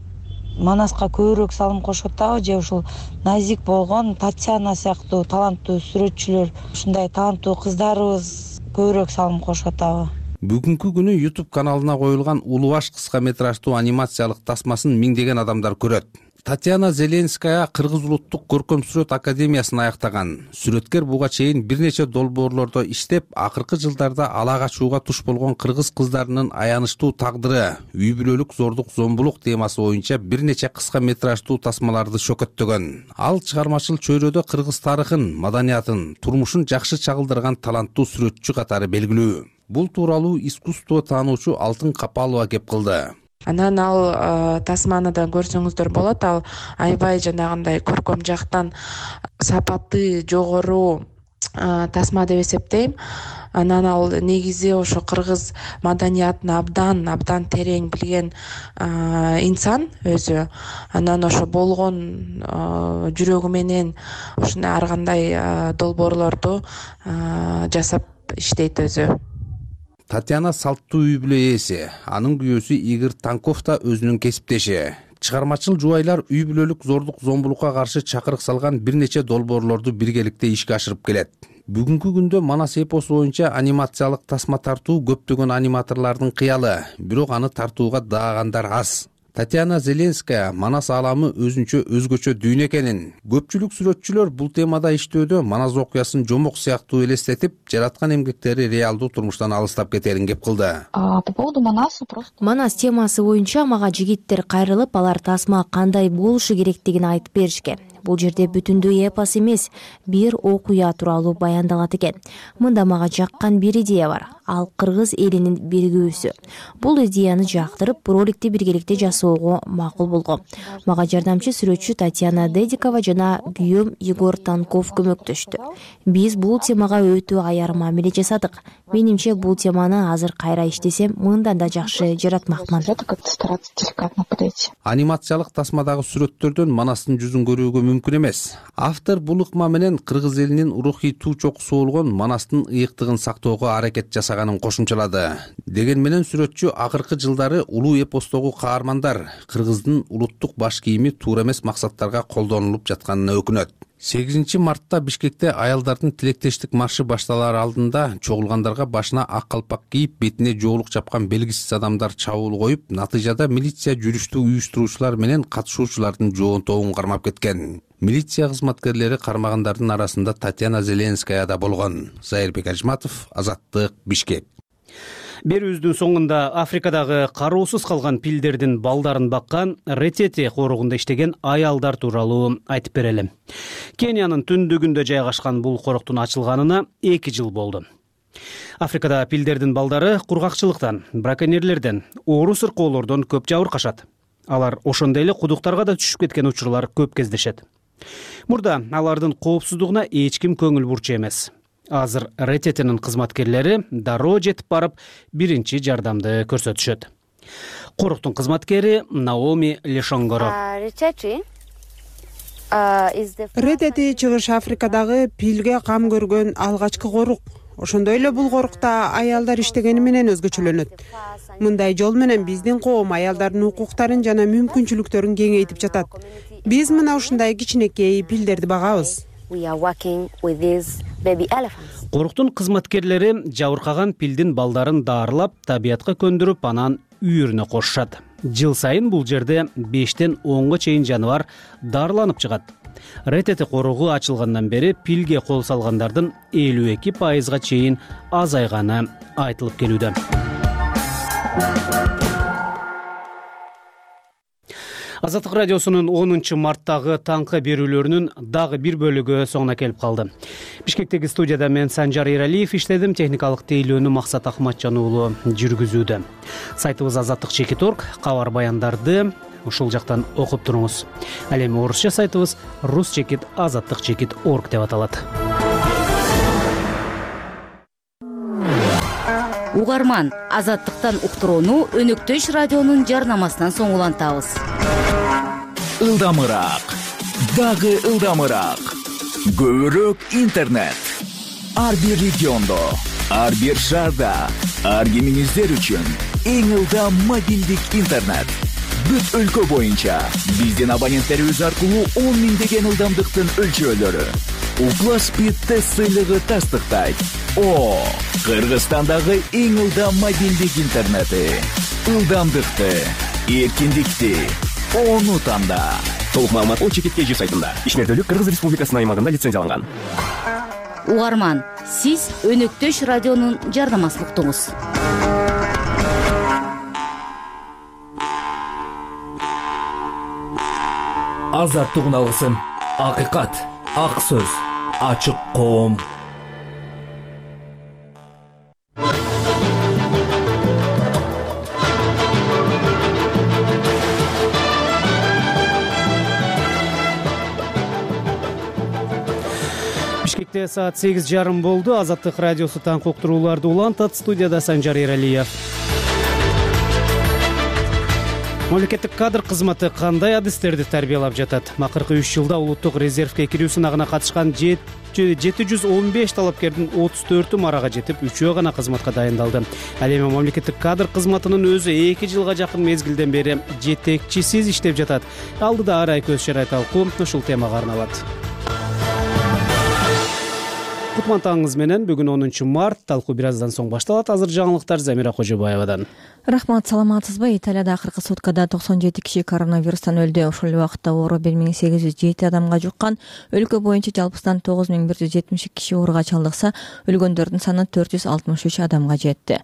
Манаска көбүрөөк салым кошуп атабы, же ушул назик болгон Татьяна сыяктуу таланттуу сүрөтчүлөр, ушундай таланттуу кыздарыбыз көбүрөөк салым кошуп атабы? Бүгүнкү күнү YouTube каналына коюлган Улуу аш кыска метраждуу анимациялык тасмасын миңдеген адамдар көрөт. Татьяна Зеленская Кыргыз улуттук көркөм сүрөт академиясын аяктаган. Сүрөткер буга чейин бир нече долбоорлордо иштеп, акыркы жылдарда ала качууга туш болгон кыргыз кыздарынын аянычтуу тагдыры, үй бүлөлүк зордук зомбулук темасы боюнча бир нече кыска метраждуу тасмаларды чөкөттөгөн. Ал чыгармачыл чөйрөдө кыргыз тарыхын, маданиятын, турмушун жакшы чагылдырган таланттуу сүрөтчү катары белгилүү. Бул тууралуу искусство таануучу Алтын Капалова кеп кылды. Анан ал тасманы да көрсөңүздөр болот. Ал аябай жанагындай көркөм жактан сапаты жогору тасма деп эсептейм. Анан ал негизи ошо кыргыз маданиятын абдан абдан терең билген инсан өзү. Анан ошо болгон жүрөгү менен ушундай ар кандай долбоорлорду жасап иштейт өзү. Татьяна салттуу үй бүлө ээси, анын күйөөсү Игорь Танков да өзүнүн кесиптеши. Чыгармачыл жубайлар үй бүлөлүк зордук зомбулукка каршы чакырык салган бир нече долбоорлорду биргеликте ишке ашырып келет. Бүгүнкү күндө Манас эпосу боюнча анимациялык тасма тартуу көптөгөн аниматорлордун кыялы, бирок аны тартууга даагандар аз. Татьяна Зеленская Манас ааламы өзүнчө өзгөчө дүйнө экенин, көпчүлүк сүрөтчүлөр бул темада иштөөдө Манас окуясын жомок сыяктуу элестетип, жараткан эмгектери реалдуу турмуштан алыстап кетерин кеп кылды. По поводу Манаса просто Манас темасы боюнча мага жигиттер кайрылып, алар тасма кандай болушу керектигин айтып беришкен. Бул жерде бүтүндүү эпос эмес, бир окуя тууралуу баяндалат экен. Мында мага жаккан бир идея бар. Ал кыргыз элинин биригүүсү. Бул идеяны жактырып, роликти биргеликте жасоого макул болгом. Мага жардамчы сүрөтчү Татьяна Дедикова жана күйөөм Егор Танков көмөктөштү. Биз бул темага өтө аяр мамиле жасадык. Менимче бул теманы азыр кайра иштесем, мындан да жакшы жаратмакмын. Анимациялык тасмадагы сүрөттөрдөн Манастын жүзүн көрүүгө мүмкүн эмес. Автор бул ыкма менен кыргыз элинин рухий туу чокусу болгон Манастын ыйыктыгын сактоого аракет жасаганын кошумчалады. Деген менен сүрөтчү акыркы жылдары улуу эпостогу каармандар кыргыздын улуттук баш кийими туура эмес максаттарга колдонулуп жатканына өкүнөт. сегизинчи мартта Бишкекте аялдардын тилектештик маршы башталар алдында чогулгандарга башына ак калпак кийип, бетине жоолук чапкан белгисиз адамдар чабуул коюп, натыйжада милиция жүрүштү уюштуруучулар менен катышуучулардын жоон тобун кармап кеткен. Милиция кызматкерлери кармагандардын арасында Татьяна Зеленская да болгон. Зайырбек Ажматов, Азаттык, Бишкек. Берүүбүздүн соңунда Африкадагы кароосуз калган пилдердин балдарын баккан Ретете корогунда иштеген аялдар тууралуу айтып берели. Кениянын түндүгүндө жайгашкан бул короктун ачылганына эки жыл болду. Африкада пилдердин балдары кургакчылыктан, браконьерлерден, оору сыркоолордон көп жабыркашат. Алар ошондой эле кудуктарга да түшүп кеткен учурлар көп кездешет. Мурда алардын коопсуздугуна эч ким көңүл бурчу эмес. Азыр Рететинин кызматкерлери дароо жетип барып, биринчи жардамды көрсөтүшөт. Короктун кызматкери Наоми Лешонгоро. Ретети Чыгыш Африкадагы пилге кам көргөн алгачкы корук. Ошондой эле бул корукта аялдар иштегени менен өзгөчөлөнөт. Мындай жол менен биздин коом аялдардын укуктарын жана мүмкүнчүлүктөрүн кеңейтип жатат. Биз мына ушундай кичинекей пилдерди багабыз. Коруктун кызматкерлери жабыркаган пилдин балдарын даарылап, табиятка көндүрүп, анан үйүрүнө кошушат. Жыл сайын бул жерде бештен онго чейин жаныбар дарыланып чыгат. Ретете коругу ачылгандан бери пилге кол салгандардын элүү эки пайызга чейин азайганы айтылып келүүдө. Азаттык радиосунун онунчу марттагы таңкы берүүлөрүнүн дагы бир бөлүгү соңуна келип калды. Бишкектеги студияда мен Санжар Иралиев иштедим, техникалык тейлөөнү Максат Акматжан уулу жүргүзүүдө. Сайтыбыз азаттык чекит точка орг, кабар баяндарды ушул жактан окуп туруңуз. Ал эми орусча сайтыбыз рус чекит азаттык чекит точка орг деп аталат. Угарман, азаттыктан уктурууну Өнөктөш радионун жарнамасынан соң улантабыз. Ылдамыраак, дагы ылдамыраак. Көбүрөөк интернет. Ар бир региондо, ар бир шаарда, ар кимиңиздер үчүн эң ылдам мобилдик интернет. Бүт өлкө боюнча биздин абоненттерибиз аркылуу он миңдеген ылдамдыктын өлчөөлөрү. Укла Speed тест сыйлыгы тастыктайт. О, Кыргызстандагы эң ылдам мобилдик интернети. Ылдамдыкты, эркиндикти, ону танда. Толук маалымат о чекит kg сайтында. Ишмердүүлүк Кыргыз Республикасынын аймагында лицензияланган. Угарман, сиз Өнөктөш радионун жардамчылыктыңыз. Азаттык алгысын, акыйкат, ак сөз, ачык коом. Бишкекте саат сегиз жарым болду. Азаттык радиосу таңкы уктурууларды улантат. Студияда Санжар Эралиев. Мамлекеттик кадр кызматы кандай адистерди тарбиялап жатат? Акыркы үч жылда улуттук резервке кирүү сынагына катышкан жети жүз он беш талапкердин отуз төртү марага жетип, үчөө гана кызматка дайындалды. Ал эми мамлекеттик кадр кызматынын өзү эки жылга жакын мезгилден бери жетекчисиз иштеп жатат. Алдыда арай көз чарай талкуу ушул темага арналат. Кутман таңыңыз менен. Бүгүн онунчу март. Талкуу бир аздан соң башталат. Азыр жаңылыктар Замира Кожобаевадан. Рахмат, саламатсызбы? Италияда акыркы суткада токсон жети киши коронавирустан өлдү. Ошол эле убакытта оору бир миң сегиз жүз жети адамга жуккан. Өлкө боюнча жалпысынан тогуз миң бир жүз жетимиш эки киши ооруга чалдыкса, өлгөндөрдүн саны төрт жүз алтымыш үч адамга жетти.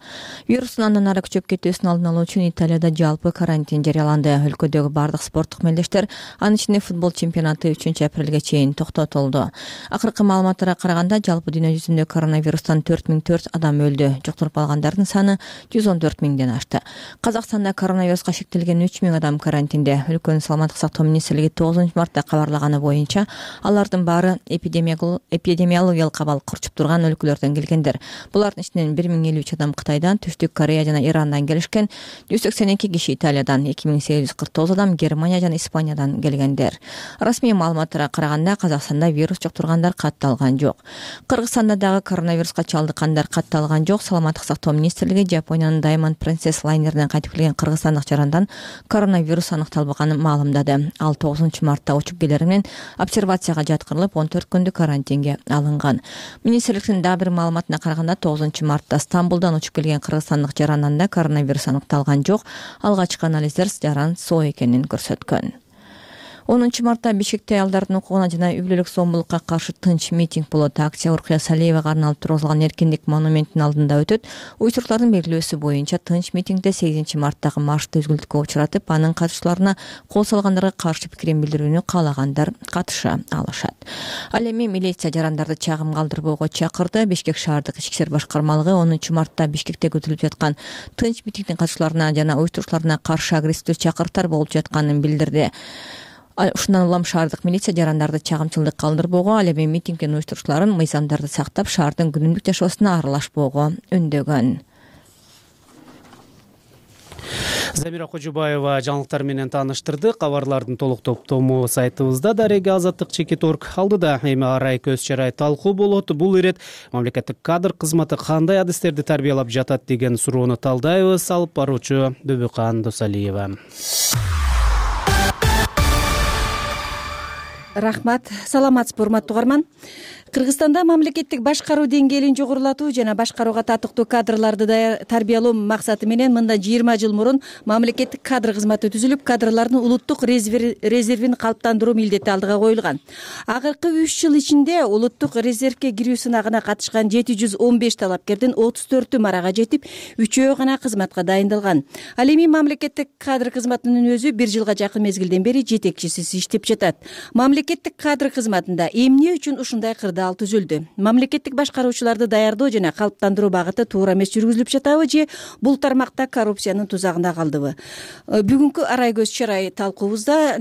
Вирустун андан ары күчөп кетүүсүн алдын алуу үчүн Италияда жалпы карантин жарыяланды. Өлкөдөгү бардык спорттук мелдештер, анын ичинде футбол чемпионаты үчүнчү апрелге чейин токтотулду. Акыркы маалыматтарга караганда, жалпы дүйнө жүзүндө коронавирустан төрт миң төрт адам өлдү. Жуктуруп алгандардын саны жүз он төрт миңден ашты. Казакстанда коронавируска шектелген үч миң адам карантинде. Өлкөнүн саламаттык сактоо министрлиги тогузунчу мартта кабарлаганы боюнча, алардын баары эпидемиологиялык абал курчуп турган өлкөлөрдөн келгендер. Булардын ичинен бир миң элүү үч адам Кытайдан, Түштүк Корея жана Ирандан келишкен, жүз сексен эки киши Италиядан, эки миң сегиз жүз кырк тогуз адам Германия жана Испаниядан келгендер. Расмий маалыматтарга караганда, Казакстанда вирус жуктургандар катталган жок. Кыргызстанда дагы коронавируска чалдыккандар катталган жок. Саламаттык сактоо министрлиги Жапониянын Diamond Princess лайнеринен кайтып келген кыргызстандык жарандан коронавирус аныкталбаганын маалымдады. Ал тогузунчу мартта учуп келери менен обсервацияга жаткырылып, он төрт күндүк карантинге алынган. Министрликтин дагы бир маалыматына караганда, тогузунчу мартта Стамбулдан учуп келген кыргызстандык жарандан да коронавирус аныкталган жок. Алгачкы анализдер жаран соо экенин көрсөткөн. онунчу мартта Бишкекте аялдардын укугуна жана үй бүлөлүк зомбулукка каршы тынч митинг болот. Акция Уркуя Салиевага арналып тургузулган Эркиндик монументинин алдында өтөт. Уюштуруктардын белгилөөсү боюнча тынч митингде сегизинчи марттагы маршты үзгүлтүккө учуратып, анын катышчыларына кол салгандарга каршы пикирин билдирүүнү каалагандар катыша алышат. Ал эми милиция жарандарды чагым калтырбоого чакырды. Бишкек шаардык ички иштер башкармалыгы онунчу мартта Бишкекте өтүлүп жаткан тынч митингдин катышчыларына жана уюштуруучуларына каршы агрессивдүү чакырыктар болуп жатканын билдирди. Ушундан улам шаардык милиция жарандарды чагымчылдык калтырбоого, ал эми митингдин уюштуруучуларын мыйзамдарды сактап, шаардын күнүмдүк жашоосуна аралашпоого үндөгөн. Замира Кожобаева жаңылыктар менен тааныштырды. Кабарлардын толук топтому сайтыбызда дареги азаттык чекит точка орг. Алдыда эми арай көз чарай талкуу болот. Бул ирет мамлекеттик кадр кызматы кандай адистерди тарбиялап жатат деген суроону талдайбыз. Алып баруучу Дөбөкан Досалиева. Рахмат, саламатсызбы урматтуу угарман. Кыргызстанда мамлекеттик башкаруу деңгээлин жогорулатуу жана башкарууга татыктуу кадрларды тарбиялоо максаты менен мында жыйырма жыл мурун мамлекеттик кадр кызматы түзүлүп, кадрлардын улуттук резервин калыптандыруу милдети алдыга коюлган. Акыркы үч жыл ичинде улуттук резервке кирүү сынагына катышкан жети жүз он беш талапкердин отуз төртү марага жетип, үчөө гана кызматка дайындалган. Ал эми мамлекеттик кадр кызматынын өзү бир жылга жакын мезгилден бери жетекчисиз иштеп жатат. Мамлекеттик кадр кызматында эмне үчүн ушундай кырдаал түзүлдү? Мамлекеттик башкаруучуларды даярдоо жана калыптандыруу багыты туура эмес жүргүзүлүп жатабы же бул тармакта коррупциянын тузагында калдыбы? Бүгүнкү арай көз чарай талкуубузда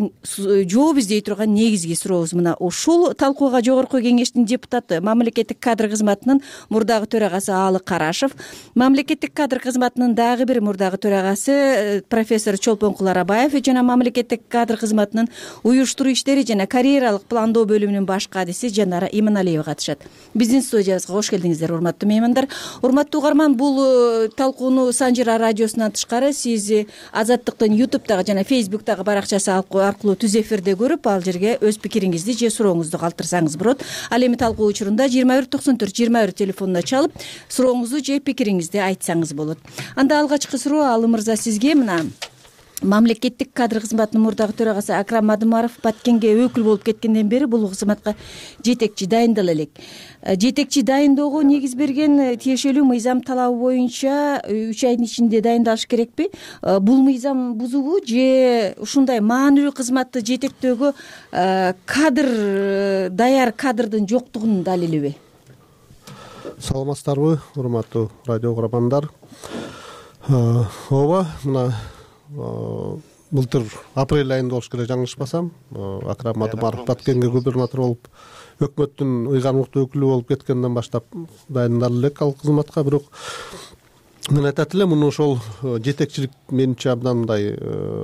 жооп издей турган негизги сурообуз мына ушул. Талкууга Жогорку Кеңештин депутаты, мамлекеттик кадр кызматынын мурдагы төрагасы Аалы Карашев, мамлекеттик кадр кызматынын дагы бир мурдагы төрагасы профессор Чолпон Куларабаев жана мамлекеттик кадр кызматынын уюштуруу иштери жана карьералык пландоо бөлүмүнүн баш кадиси Жанара Иманалиева катышат. Биздин студиябызга кош келдиңиздер, урматтуу меймандар. Урматтуу угарман, бул талкууну Санжира радиосунан тышкары сиз Азаттыктын ютубтагы жана фейсбуктагы баракчасы аркылуу түз эфирде көрүп, ал жерге өз пикириңизди же сурооңузду калтырсаңыз болот. Ал эми талкуу учурунда жыйырма бир токсон төрт жыйырма бир телефонуна чалып, сурооңузду же пикириңизди айтсаңыз болот. Анда алгачкы суроо Аалы мырза сизге. Мына мамлекеттик кадр кызматынын мурдагы төрагасы Акрам Мадымаров Баткенге өкүл болуп кеткенден бери бул кызматка жетекчи дайындала элек. Жетекчи дайындоого негиз берген тиешелүү мыйзам талабы боюнча үч айдын ичинде дайындалыш керекпи? Бул мыйзам бузуубу же ушундай маанилүү кызматты жетектөөгө кадр даяр кадрдын жоктугунун далилиби? Саламатсыздарбы, урматтуу радио угармандар. Ооба, мына былтыр апрель айында болуш керек, жаңылышпасам, Акрам Мадымаров Баткенге губернатор болуп, өкмөттүн ыйгармыктуу өкүлү болуп кеткенден баштап дайындала элек ал кызматка. Бирок мен айтат элем, муну ошол жетекчилик менимче абдан мындай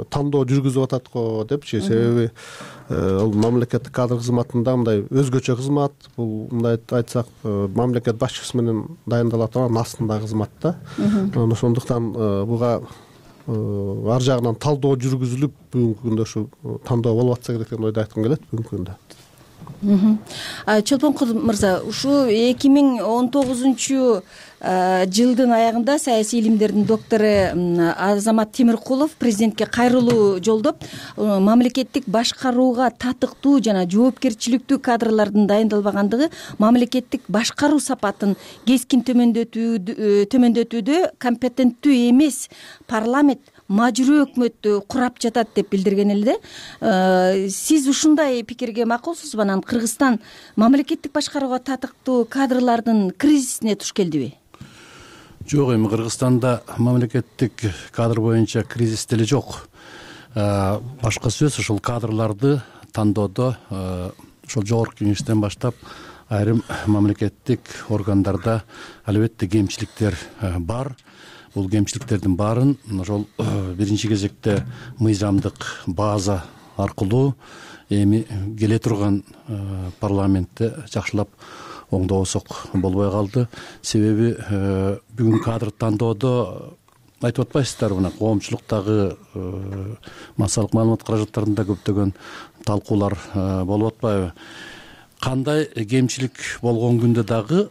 тандоо жүргүзүп атат го депчи. Себеби ал мамлекеттик кадр кызматында мындай өзгөчө кызмат. Бул мындай айтсак, мамлекет башчысы менен дайындала турган астындагы кызмат да. Ошондуктан буга ар жагынан талдоо жүргүзүлүп, бүгүнкү күндө ушу тандоо болуп атса керек деген ойду айткым келет бүгүнкү күндө. Чолпонкул мырза, ушу эки миң он тогузунчу жылдын аягында саясий илимдердин доктору Азамат Темиркулов президентке кайрылуу жолдоп, мамлекеттик башкарууга татыктуу жана жоопкерчиликтүү кадрлардын дайындалбагандыгы мамлекеттик башкаруу сапатын кескин төмөндөтүүдө компетенттүү эмес парламент мажуруу өкмөттү курап жатат деп билдирген эле да. Сиз ушундай пикирге макулсузбу? Анан Кыргызстан мамлекеттик башкарууга татыктуу кадрлардын кризисине туш келдиби? Жок, эми Кыргызстанда мамлекеттик кадр боюнча кризис деле жок. Башка сөз, ушул кадрларды тандоодо ошол жогорку кеңештен баштап айрым мамлекеттик органдарда албетте кемчиликтер бар. Бул кемчиликтердин баарын ошол биринчи кезекте мыйзамдык база аркылуу эми келе турган парламентте жакшылап оңдобосок болбой калды. Себеби бүгүн кадр тандоодо айтып атпайсыздарбы, мына коомчулуктагы массалык маалымат каражаттарында көптөгөн талкуулар болуп атпайбы? Кандай кемчилик болгон күндө дагы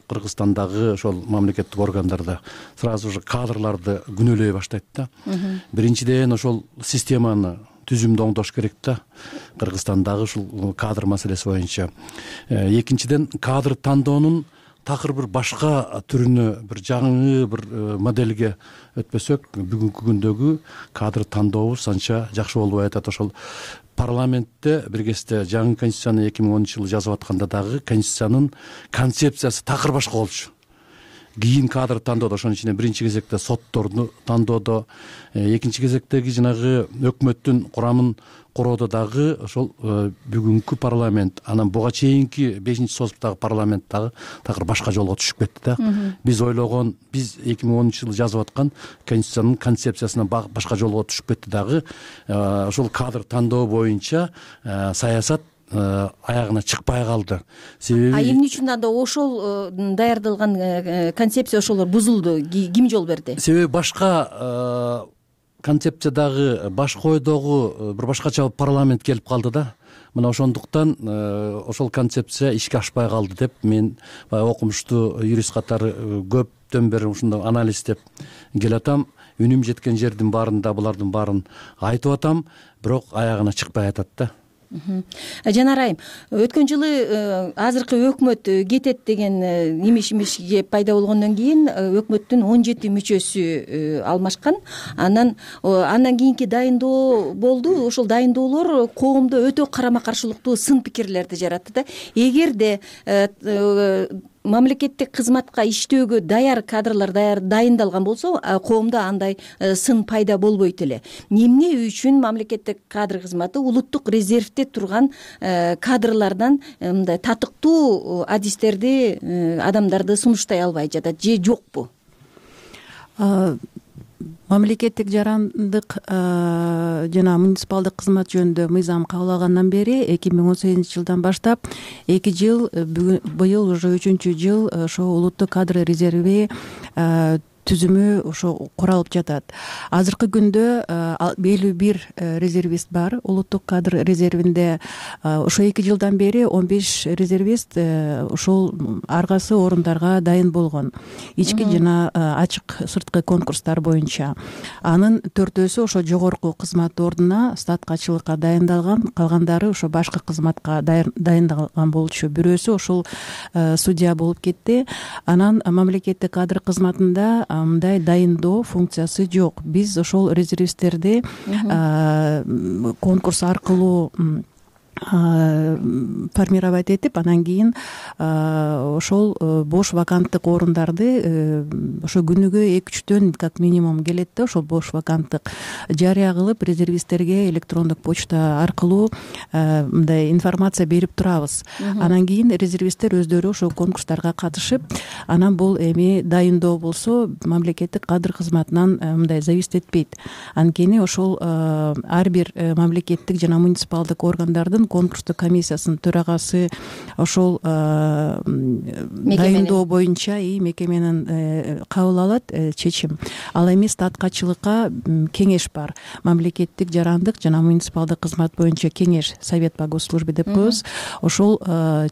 Кыргызстандагы ошол мамлекеттик органдарда сразу же кадрларды күнөөлөй баштайт да. Биринчиден ошол системаны түзүмдү оңдош керек да, Кыргызстандагы ушул кадр маселеси боюнча. Экинчиден, кадр тандоонун такыр бир башка түрүнө, бир жаңы бир моделге өтпөсөк, бүгүнкү күндөгү кадр тандообуз анча жакшы болбой атат. Ошол парламентте бир кезде жаңы конституцияны эки миң онунчу жылы жазып атканда дагы конституциянын концепциясы такыр башка болчу. Кийин кадр тандоодо, ошонун ичинде биринчи кезекте сотторду тандоодо, экинчи кезектеги жанагы өкмөттүн курамын куроодо дагы ошол бүгүнкү парламент, анан буга чейинки бешинчи созуптагы парламент дагы такыр башка жолго түшүп кетти да. Биз ойлогон, биз эки миң онунчу жылы жазып аткан конституциянын концепциясына башка жолго түшүп кетти дагы. Ошол кадр тандоо боюнча саясат аягына чыкпай калды. Себеби А эмне үчүн анда ошол даярдалган концепция ошолор бузулду? Ким жол берди? Себеби башка концепциядагы, башка ойдогу бир башкача парламент келип калды да. Мына ошондуктан ошол концепция ишке ашпай калды деп мен окумуштуу юрист катары көптөн бери ушундай анализдеп келатам. Үнүм жеткен жердин баарында булардын баарын айтып атам, бирок аягына чыкпай атат да. Жанар айым, өткөн жылы азыркы өкмөт кетет деген имиш-имишге пайда болгондон кийин өкмөттүн он жети мүчөсү алмашкан. Анан андан кийинки дайындоо болду. Ошол дайындоолор коомдо өтө карама-каршылыктуу сын пикирлерди жаратты да. Эгерде мамлекеттик кызматка иштөөгө даяр кадрлар даяр дайындалган болсо, коомдо андай сын пайда болбойт эле. Эмне үчүн мамлекеттик кадр кызматы улуттук резервде турган кадрлардан мындай татыктуу адистерди, адамдарды сунуштай албай жатат же жокпу? Мамлекеттик жарандык жана муниципалдык кызмат жөнүндө мыйзам кабыл бери эки миң он сегизинчи жылдан баштап эки жыл, быйыл уже үчүнчү жыл ошо улуттук кадр резерви түзүмү ошо куралып жатат. Азыркы күндө элүү бир резервист бар улуттук кадр резервинде. Ошо эки жылдан бери он беш резервист ошол аргасы орундарга дайын болгон. Ички жана ачык сырткы конкурстар боюнча. Анын төртөөсү ошо жогорку кызмат ордуна статкачылыкка дайындалган, калгандары ошо башка кызматка дайындалган болчу. Бирөөсү ошол судья болуп кетти. Анан мамлекеттик кадр кызматында мындай дайындоо функциясы жок. Биз ошол резервисттерди конкурс аркылуу формировать этип, анан кийин ошол бош ваканттык орундарды ошо күнүгө эки үчтөн как минимум келет да, ошол бош ваканттык жарыя кылып резервисттерге электрондук почта аркылуу мындай информация берип турабыз. Анан кийин резервисттер өздөрү ошол конкурстарга катышып, анан бул эми дайындоо болсо мамлекеттик кадр кызматынан мындай зависит этпейт. Анткени ошол ар бир мамлекеттик жана муниципалдык органдардын конкурстук комиссиясынын төрагасы ошол дайындоо боюнча и мекеменин кабыл алат чечим. Ал эми статкачылыкка кеңеш бар. Мамлекеттик жарандык жана муниципалдык кызмат боюнча кеңеш, совет по госслужбе деп коебуз. Ошол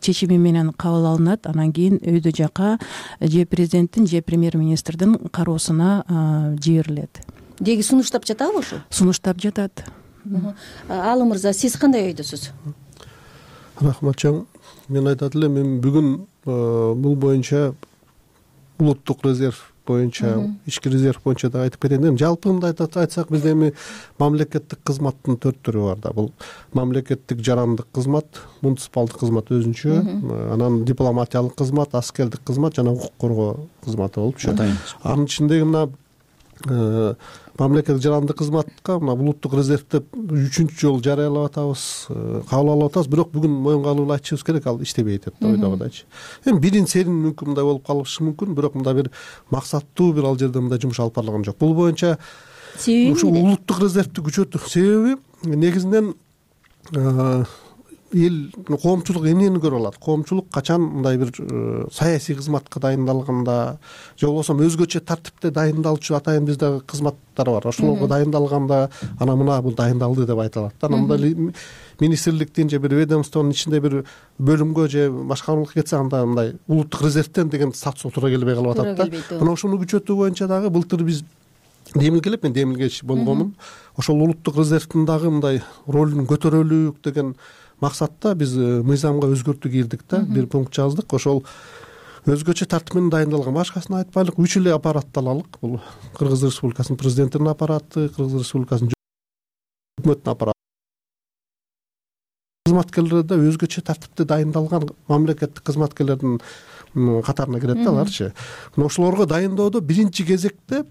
чечими менен кабыл алынат. Анан кийин өйдө жака же президенттин же премьер-министрдин кароосуна жиберилет. Деги сунуштап жатабы ошо? Сунуштап жатат. Алы мырза, сиз кандай ойдосуз? Рахмат чоң. Мен айтат элем, мен бүгүн бул боюнча улуттук резерв боюнча, ички резерв боюнча да айтып кетейин. Жалпы мындай айтсак, бизде эми мамлекеттик кызматтын төрт түрү бар да. Бул мамлекеттик жарандык кызмат, муниципалдык кызмат өзүнчө, анан дипломатиялык кызмат, аскердик кызмат жана укук коргоо кызматы болупчу. Анын ичиндеги мына мамлекеттик жарандык кызматка мына улуттук резервди үчүнчү жолу жарыялап атабыз, кабыл алып атабыз, бирок бүгүн моюнга алып айтышыбыз керек, ал иштебей атат да, ойдогудай. Эми бирин серин мүмкүн мындай болуп калышы мүмкүн, бирок мындай бир максаттуу бир ал жерде мындай жумуш алып барылган жок. Бул боюнча ушу улуттук резервди күчөтүү себеби негизинен эл коомчулук эмнени көрүп алат? Коомчулук качан мындай бир саясий кызматка дайындалганда, же болбосо өзгөчө тартипте дайындалчу атайын бизде кызматтар бар. Ошолорго дайындалганда анан мына бул дайындалды деп айтылат да. Анан мындай министрликтин же бир ведомствонун ичинде бир бөлүмгө же башкармалыкка кетсе, анда мындай улуттук резервден деген статус туура келбей калып атат да. Мына ошону күчөтүү боюнча дагы былтыр биз демилге элеп, мен демилгеч болгонмун. Ошол улуттук резервдин дагы мындай ролун көтөрөлүк деген максатта биз мыйзамга өзгөртүү кирдик да, бир пункт жаздык. Ошол өзгөчө тартип менен дайындалган, башкасын айтпайлык, үч эле аппаратты алалык. Бул Кыргыз Республикасынын президентинин аппараты, Кыргыз Республикасынын өкмөттүнүн аппараты. Кызматкерлер да өзгөчө тартипте дайындалган мамлекеттик кызматкерлердин катарына кирет да аларчы. Ошолорго дайындоодо биринчи кезекте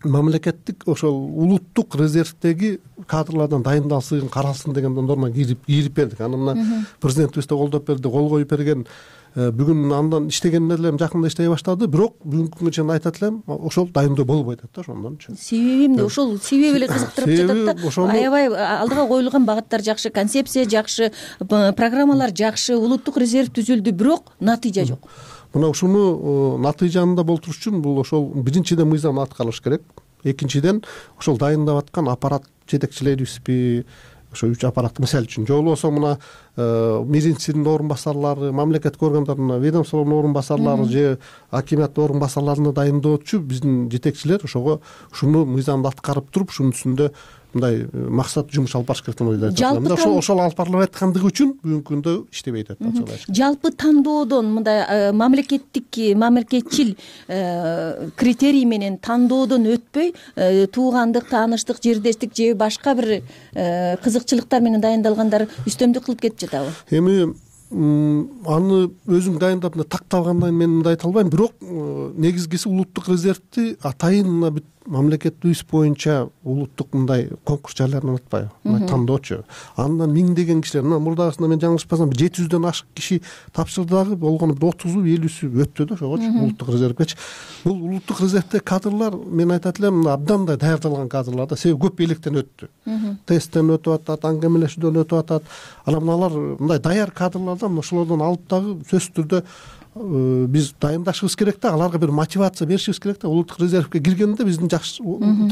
мамлекеттик ошол улуттук резервдеги кадрлардан дайындалсын, каралсын деген норма кирип кирип бердик. Аны мына президентибиз да колдоп берди, кол коюп берген. Бүгүн андан иштеген элем жакында иштей баштады, бирок бүгүнкү күнгө чейин айтат элем, ошол дайындоо болбой атат да ошондончу. Себеби эмне? Ошол себеби эле кызыктырып жатат да. Аябай алдыга коюлган багыттар жакшы, концепция жакшы, программалар жакшы, улуттук резерв түзүлдү, бирок натыйжа жок. Мына ушуну натыйжанында болтуруш үчүн бул ошол биринчиден мыйзам аткарылыш керек. Экинчиден ошол дайындап аткан аппарат жетекчилерибизби, ошо үч аппарат мисалы үчүн, же болбосо мына министрдин орун басарлары, мамлекеттик органдардын ведомствонун орун басарлары же акиматтын орун басарларына дайындоочу биздин жетекчилер ошого ушуну мыйзамды аткарып туруп, ушунун үстүндө мындай максаттуу жумуш алып барыш керек деп ойлойт. Ошол ошол алып барылып аткандыгы үчүн бүгүнкү күндө иштебей атат. Жалпы тандоодон мындай мамлекеттик мамлекетчил критерий менен тандоодон өтпөй, туугандык, тааныштык, жердештик же башка бир кызыкчылыктар менен дайындалгандар үстөмдүк кылып кетип жатабы? Эми аны өзүң дайындап такталгандан мен мындай айта албайм, бирок негизгиси улуттук резервди атайын мына бүт мамлекетибиз боюнча улуттук мындай конкурс жарыяланып атпайбы, мындай тандоочу. Андан миңдеген кишилер, мына мурдагысында мен жаңылышпасам жети жүздөн ашык киши тапшырды дагы, болгону бир отузу элүүсү өттү да ошогочу улуттук резервгечи. Бул улуттук резервдеги кадрлар, мен айтат элем, мына абдан да даярдалган кадрлар да, себеби көп электен өттү. Тесттен өтүп атат, аңгемелешүүдөн өтүп атат. Анан мыналар мындай даяр кадрлардан, ошолордон алып дагы сөзсүз түрдө биз дайындашыбыз керек да, аларга бир мотивация беришибиз керек да. Улуттук резервге киргенде биздин жакшы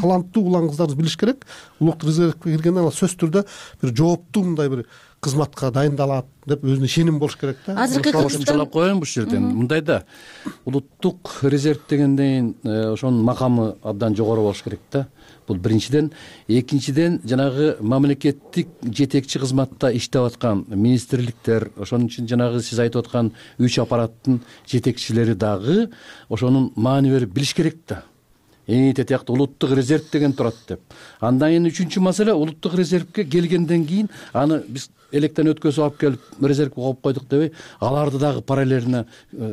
таланттуу улан кыздарыбыз билиш керек. Улуттук резервге киргенде ал сөзсүз түрдө бир жооптуу мындай бир кызматка дайындалат деп өзүнө ишеним болуш керек да. Азыркы кошумчалап коеюн бул жерден. Мындай да, улуттук резерв дегенден ошонун макамы абдан жогору болуш керек да. Бул биринчиден. Экинчиден, жанагы мамлекеттик жетекчи кызматта иштеп аткан министрликтер, ошонун үчүн жанагы сиз айтып аткан үч аппараттын жетекчилери дагы ошонун маани берип билиш керек да. Эните тиякты улуттук резерв деген турат деп. Андан кийин үчүнчү маселе, улуттук резервге келгенден кийин аны биз электен өткөзүп алып келип резервге коюп койдук дебей, аларды дагы параллельно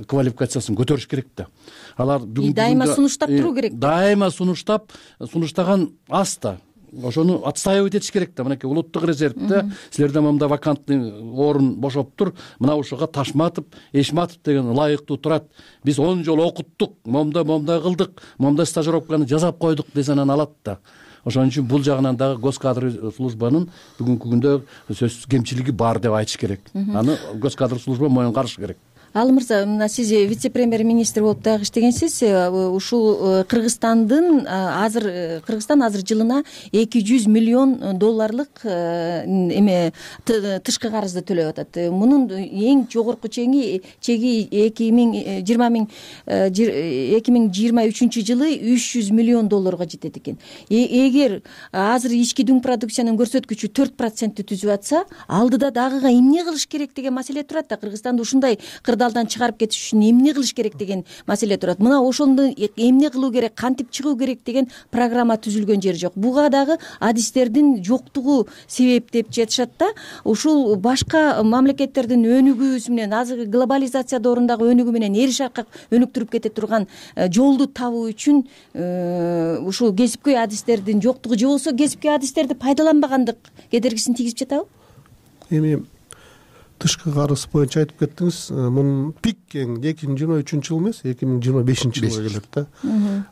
квалификациясын көтөрүш керек да. Алар дайыма сунуштап туруу керек. Дайыма сунуштап, сунуштаган аз да. Ошону отстаивать этиш керек да. Мынакей улуттук резервде силерде момундай вакантный орун бошоптур, мына ушуга Ташматов, Эшматов деген ылайыктуу турат. Биз он жол окуттук, момундай момундай кылдык, момундай стажировканы жасап койдук десе анан алат да. Ошон үчүн бул жагынан дагы госкадр службанын бүгүнкү күндө сөзсүз кемчилиги бар деп айтыш керек. Аны госкадр служба моюнга алыш керек. Ал мырза, мына сиз вице-премьер-министр болуп дагы иштегенсиз. Ушул Кыргызстандын азыр Кыргызстан азыр жылына эки жүз миллион долларлык эме тышкы карызды төлөп атат. Мунун эң жогорку чеги чеги эки миң жыйырма миң эки миң жыйырма үчүнчү жылы үч жүз миллион долларга жетет экен. Эгер азыр ички дүң продукциянын көрсөткүчү төрт процентти түзүп атса, алдыда дагыга эмне кылыш керек деген маселе турат да. Кыргызстанды ушундай кырдаалдан чыгарып кетиш үчүн эмне кылыш керек деген маселе турат. Мына ошондо эмне кылуу керек, кантип чыгуу керек деген программа түзүлгөн жери жок. Буга дагы адистердин жоктугу себеп деп жатышат да. Ушул башка мамлекеттердин өнүгүүсү менен, азыр глобализация дорундагы өнүгүү менен эри шаркак өнүктүрүп кете турган жолду табуу үчүн ушул кесипкөй адистердин жоктугу же болбосо кесипкөй адистерди пайдаланбагандык кедергисин тийгизип жатабы? Эми тышкы карыз боюнча айтып кеттиңиз. Мунун пик эки миң жыйырма үчүнчү жыл эмес, эки миң жыйырма бешинчи жылга келет да.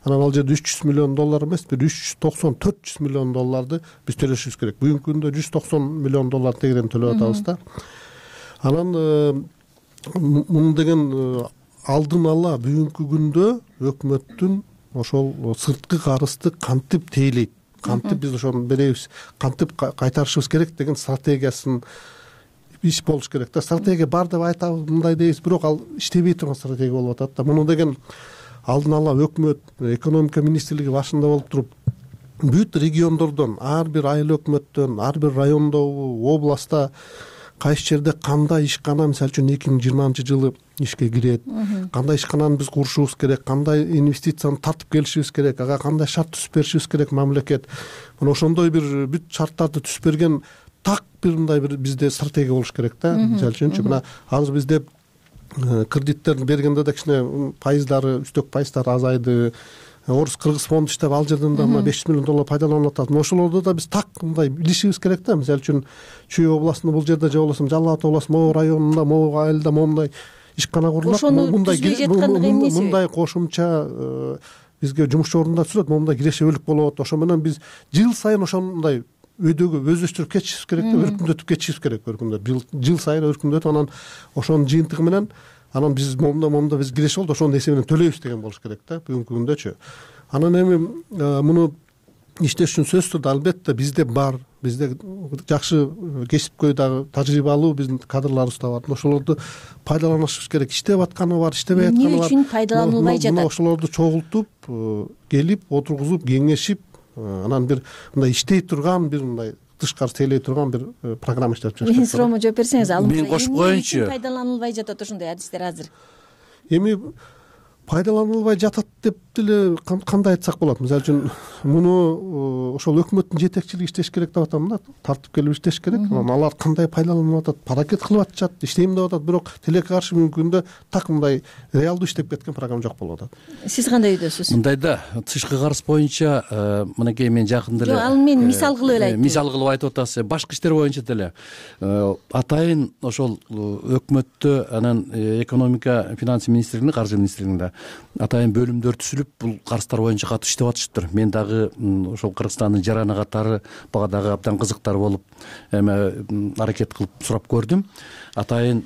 Анан ал жерде үч жүз миллион доллар эмес, бир үч жүз токсон төрт жүз миллион долларды биз төлөшүбүз керек. Бүгүнкү күндө жүз токсон миллион доллар тегерен төлөп атабыз да. Анан муну деген алдын ала бүгүнкү күндө өкмөттүн ошол сырткы карызды кантип тейлейт, кантип биз ошону беребиз, кантип кайтарышыбыз керек деген стратегиясын иш болуш керек да. Стратегия бар деп айтабыз, мындай дейбиз, бирок ал иштебей турган стратегия болуп атат да. Муну деген алдын ала өкмөт, экономика министрлиги башында болуп туруп, бүт региондордон, ар бир айыл өкмөттөн, ар бир райондогу, областта кайсы жерде кандай ишкана, мисалы үчүн эки миң жыйырманчы жылы ишке кирет, кандай ишкананы биз курушубуз керек, кандай инвестицияны тартып келишибиз керек, ага кандай шарт түзүп беришибиз керек мамлекет. Мына ошондой бир бүт шарттарды түзүп берген так бир мындай бир бизде стратегия болуш керек да. Мисалы үчүнчү мына азыр бизде кредиттерди бергенде да кичине пайыздары, үстөк пайыздары азайды. Орус Кыргыз фонду иштеп, ал жерден да мына беш жүз миллион доллар пайдаланып атат. Ошолорду да биз так мындай билишибиз керек да. Мисалы үчүн Чүй областында бул жерде, же болбосо Жалал Абад областында, могу районунда, могу айылда момундай ишкана курулат. Мындай кошумча бизге жумуш орундар түзүлөт, момундай кирешебүүлүк болот. Ошо менен биз жыл сайын ошондой өйдөгө өздөштүрүп кетишибиз керек да, өркүндөтүп кетишибиз керек. Өркүндөтүп жыл сайын өркүндөтүп, анан ошонун жыйынтыгы менен анан биз момунда момунда биз киреше болду, ошонун эсебинен төлөйбүз деген болуш керек да бүгүнкү күндөчү. Анан эми муну иштеш үчүн сөзсүз түрдө албетте бизде бар, бизде жакшы кесипкөй дагы тажрыйбалуу биздин кадрларыбыз да бар. Ошолорду пайдаланышыбыз керек. Иштеп атканы бар, иштебей атканы бар. Эмне үчүн пайдаланылбай жатат? Ошолорду чогултуп, келип, отургузуп, кеңешип, анан бир мындай иштей турган, бир мындай тышкары тейлей турган бир программа иштеп чыгыш керек. Мен суроомо жооп берсеңиз, ал мен кошуп коеюнчу. Пайдаланылбай жатат ошондой адистер азыр? Эми пайдаланылбай жатат деп деле кандай айтсак болот? Мисалы үчүн муну ошол өкмөттүн жетекчилиги иштеш керек деп атам да, тартып келип иштеш керек. Анан алар кандай пайдаланып атат, паракет кылып атышат, иштейм деп атат, бирок тилекке каршы бүгүнкү күндө так мындай реалдуу иштеп кеткен программа жок болуп атат. Сиз кандай үйдөсүз? Мындай да, тышкы карыз боюнча мынакей мен жакында эле, жок, ал мен мисал кылып эле айттым. Мисал кылып айтып атасыз. Башкы иштер боюнча деле атайын ошол өкмөттө, анан экономика финансы министрлигинде, каржы министрлигинде атайын бөлүмдөр түзүлүп бул карызддар боюнча катуу иштеп атышыптыр. Мен дагы ошол Кыргызстандын жараны катары бага дагы абдан кызыктар болуп эме аракет кылып сурап көрдүм. Атайын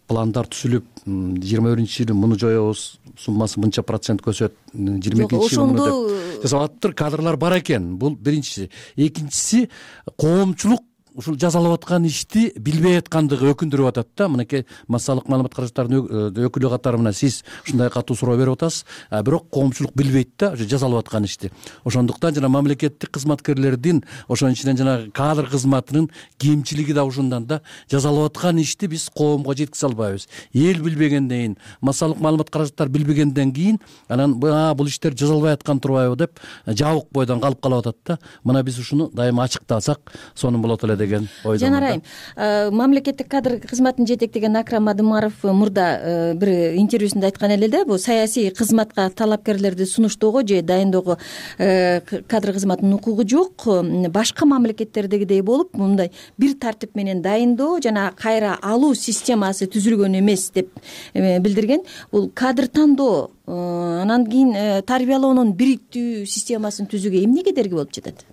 пландар түзүлүп жыйырма биринчи жылы муну жоебуз, суммасы мынча процент көсөт, жыйырма экинчи жылы муну деп жасап атыптыр. Кадрлар бар экен. Бул биринчиси. Экинчиси, коомчулук ушул жасалып аткан ишти билбей аткандыгы өкүндүрүп атат да. Мынакей массалык маалымат каражаттарынын өкүлү катары мына сиз ушундай катуу суроо берип атасыз, а бирок коомчулук билбейт да ошо жасалып аткан ишти. Ошондуктан жана мамлекеттик кызматкерлердин, ошонун ичинен жана кадр кызматынын кемчилиги да ушундан да. Жасалып аткан ишти биз коомго жеткизе албайбыз. Эл билбегенден кийин, массалык маалымат каражаттары билбегенден кийин анан бул иштер жасалбай аткан турбайбы деп жабык бойдон калып калып атат да. Мына биз ушуну дайыма ачыктасак сонун болот эле деген ойдомун. Жанарайым, мамлекеттик кадр кызматын жетектеген Акрам Адымаров мурда бир интервьюсунда айткан эле да, бул саясий кызматка талапкерлерди сунуштоого же дайындоого кадр кызматынын укугу жок. Башка мамлекеттердегидей болуп, мындай бир тартип менен дайындоо жана кайра алуу системасы түзүлгөн эмес деп билдирген. Бул кадр тандоо, анан кийин тарбиялоонун бириктүү системасын түзүүгө эмне кедерги болуп жатат?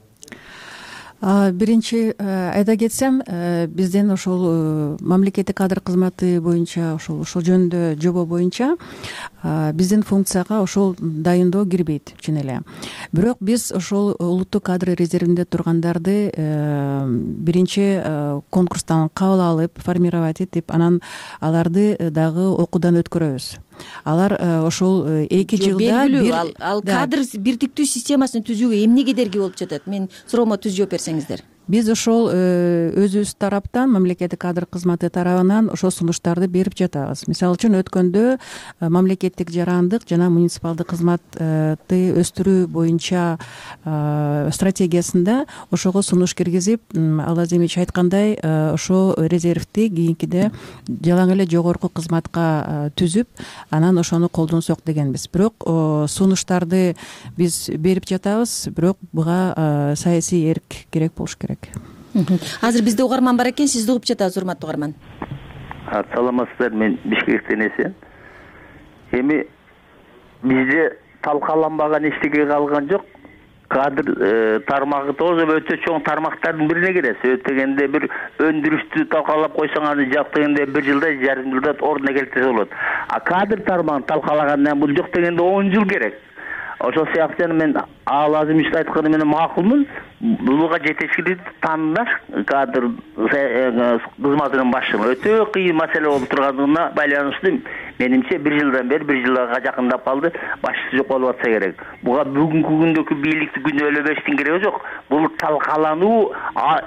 Биринчи айта кетсем, бизден ошол мамлекеттик кадр кызматы боюнча ошол ошол жөнүндө жобо боюнча биздин функцияга ошол дайындоо кирбейт чын эле. Бирок биз ошол улуттук кадр резервинде тургандарды биринчи конкурстан кабыл алып, формировать этип, анан аларды дагы окуудан өткөрөбүз. Алар ошол эки жылда бир ал кадр бирдиктүү системасын түзүүгө эмне кедерги болуп жатат? Мен суроомо түз жооп берсеңиздер. Биз ошол өзүбүз тараптан, мамлекеттик кадр кызматы тарабынан ошол сунуштарды берип жатабыз. Мисалы үчүн өткөндө мамлекеттик жарандык жана муниципалдык кызматты өстүрүү боюнча стратегиясында ошого сунуш киргизип, ал Азимович айткандай, ошо резервди кийинкиде жалаң эле жогорку кызматка түзүп, анан ошону колдонсок дегенбиз. Бирок сунуштарды биз берип жатабыз, бирок буга саясий эрк керек болуш керек. Азыр бизде угарман бар экен, сизди угуп жатабыз, урматтуу угарман. Саламатсыздар, мен Бишкектен эсен. Эми бизде талкаланбаган эчтеке калган жок. Кадр тармагы тоже өтө чоң тармактардын бирине кирет. Өтөгөндө бир өндүрүштү талкалап койсоң, аны жап дегенде бир жылда, жарым жылда ордуна келтирсе болот. А кадр тармагын талкалагандан бул жок дегенде он жыл керек. Ошол сыяктуу мен ал Азимович айтканы менен макулмун. Буга жетекчилик тандаш кадр кызматынын башчылыгы өтө кыйын маселе болуп тургандыгына байланыштуу менимче бир жылдан бери бир жылга жакындап калды, башчысы жок болуп атса керек. Буга бүгүнкү күндөгү бийликти күнөөлөбөштүн кереги жок. Бул талкалануу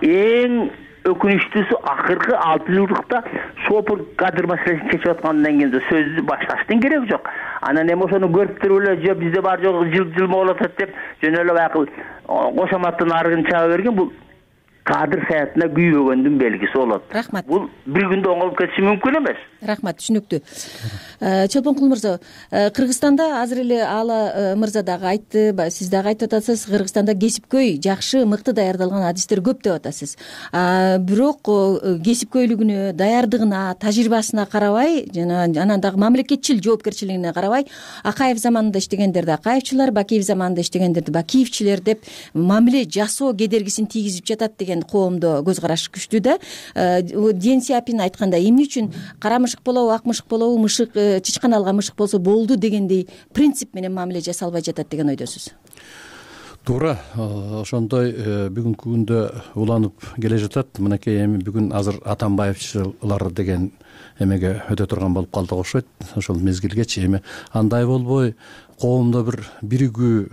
эң өкүнүчтүүсү акыркы алты жылдыкта сопур кадр маселесин чечип аткандан кийин сөздү башташтын кереги жок. Анан эми ошону көрүп туруп эле же бизде бар жок жыл жылма болуп атат деп жөн эле баягы кошоматтын арыгын чаба берген, бул кадр саятына күйбөгөндүн белгиси болот. Рахмат. Бул бир күндө оңолуп кетиши мүмкүн эмес. Рахмат, түшүнүктүү. Чолпонкул мырза, Кыргызстанда азыр эле Ала мырза дагы айтты, сиз дагы айтып атасыз, Кыргызстанда кесипкөй, жакшы, мыкты даярдалган адистер көп деп атасыз. Бирок кесипкөйлүгүнө, даярдыгына, тажрыйбасына карабай, жана анан дагы мамлекетчил жоопкерчилигине карабай, Акаев заманында иштегендерди Акаевчилар, Бакиев заманында иштегендерди Бакиевчилер деп мамиле жасоо кедергисин тийгизип жатат деген коомдо көз караш күчтүү да. Ден Сяопин айткандай, эмне үчүн кара мышык болобу, ак мышык болобу, мышык чычканалган мышык болсо болду дегендей принцип менен мамиле жасалбай жатат деген ойдосуз? Туура, ошондой бүгүнкү күндө уланып келе жатат. Мынакей эми бүгүн азыр Атамбаевчылар деген эмеге өтө турган болуп калдык окшойт. Ошол мезгилгечи эми андай болбой, коомдо бир биригүү,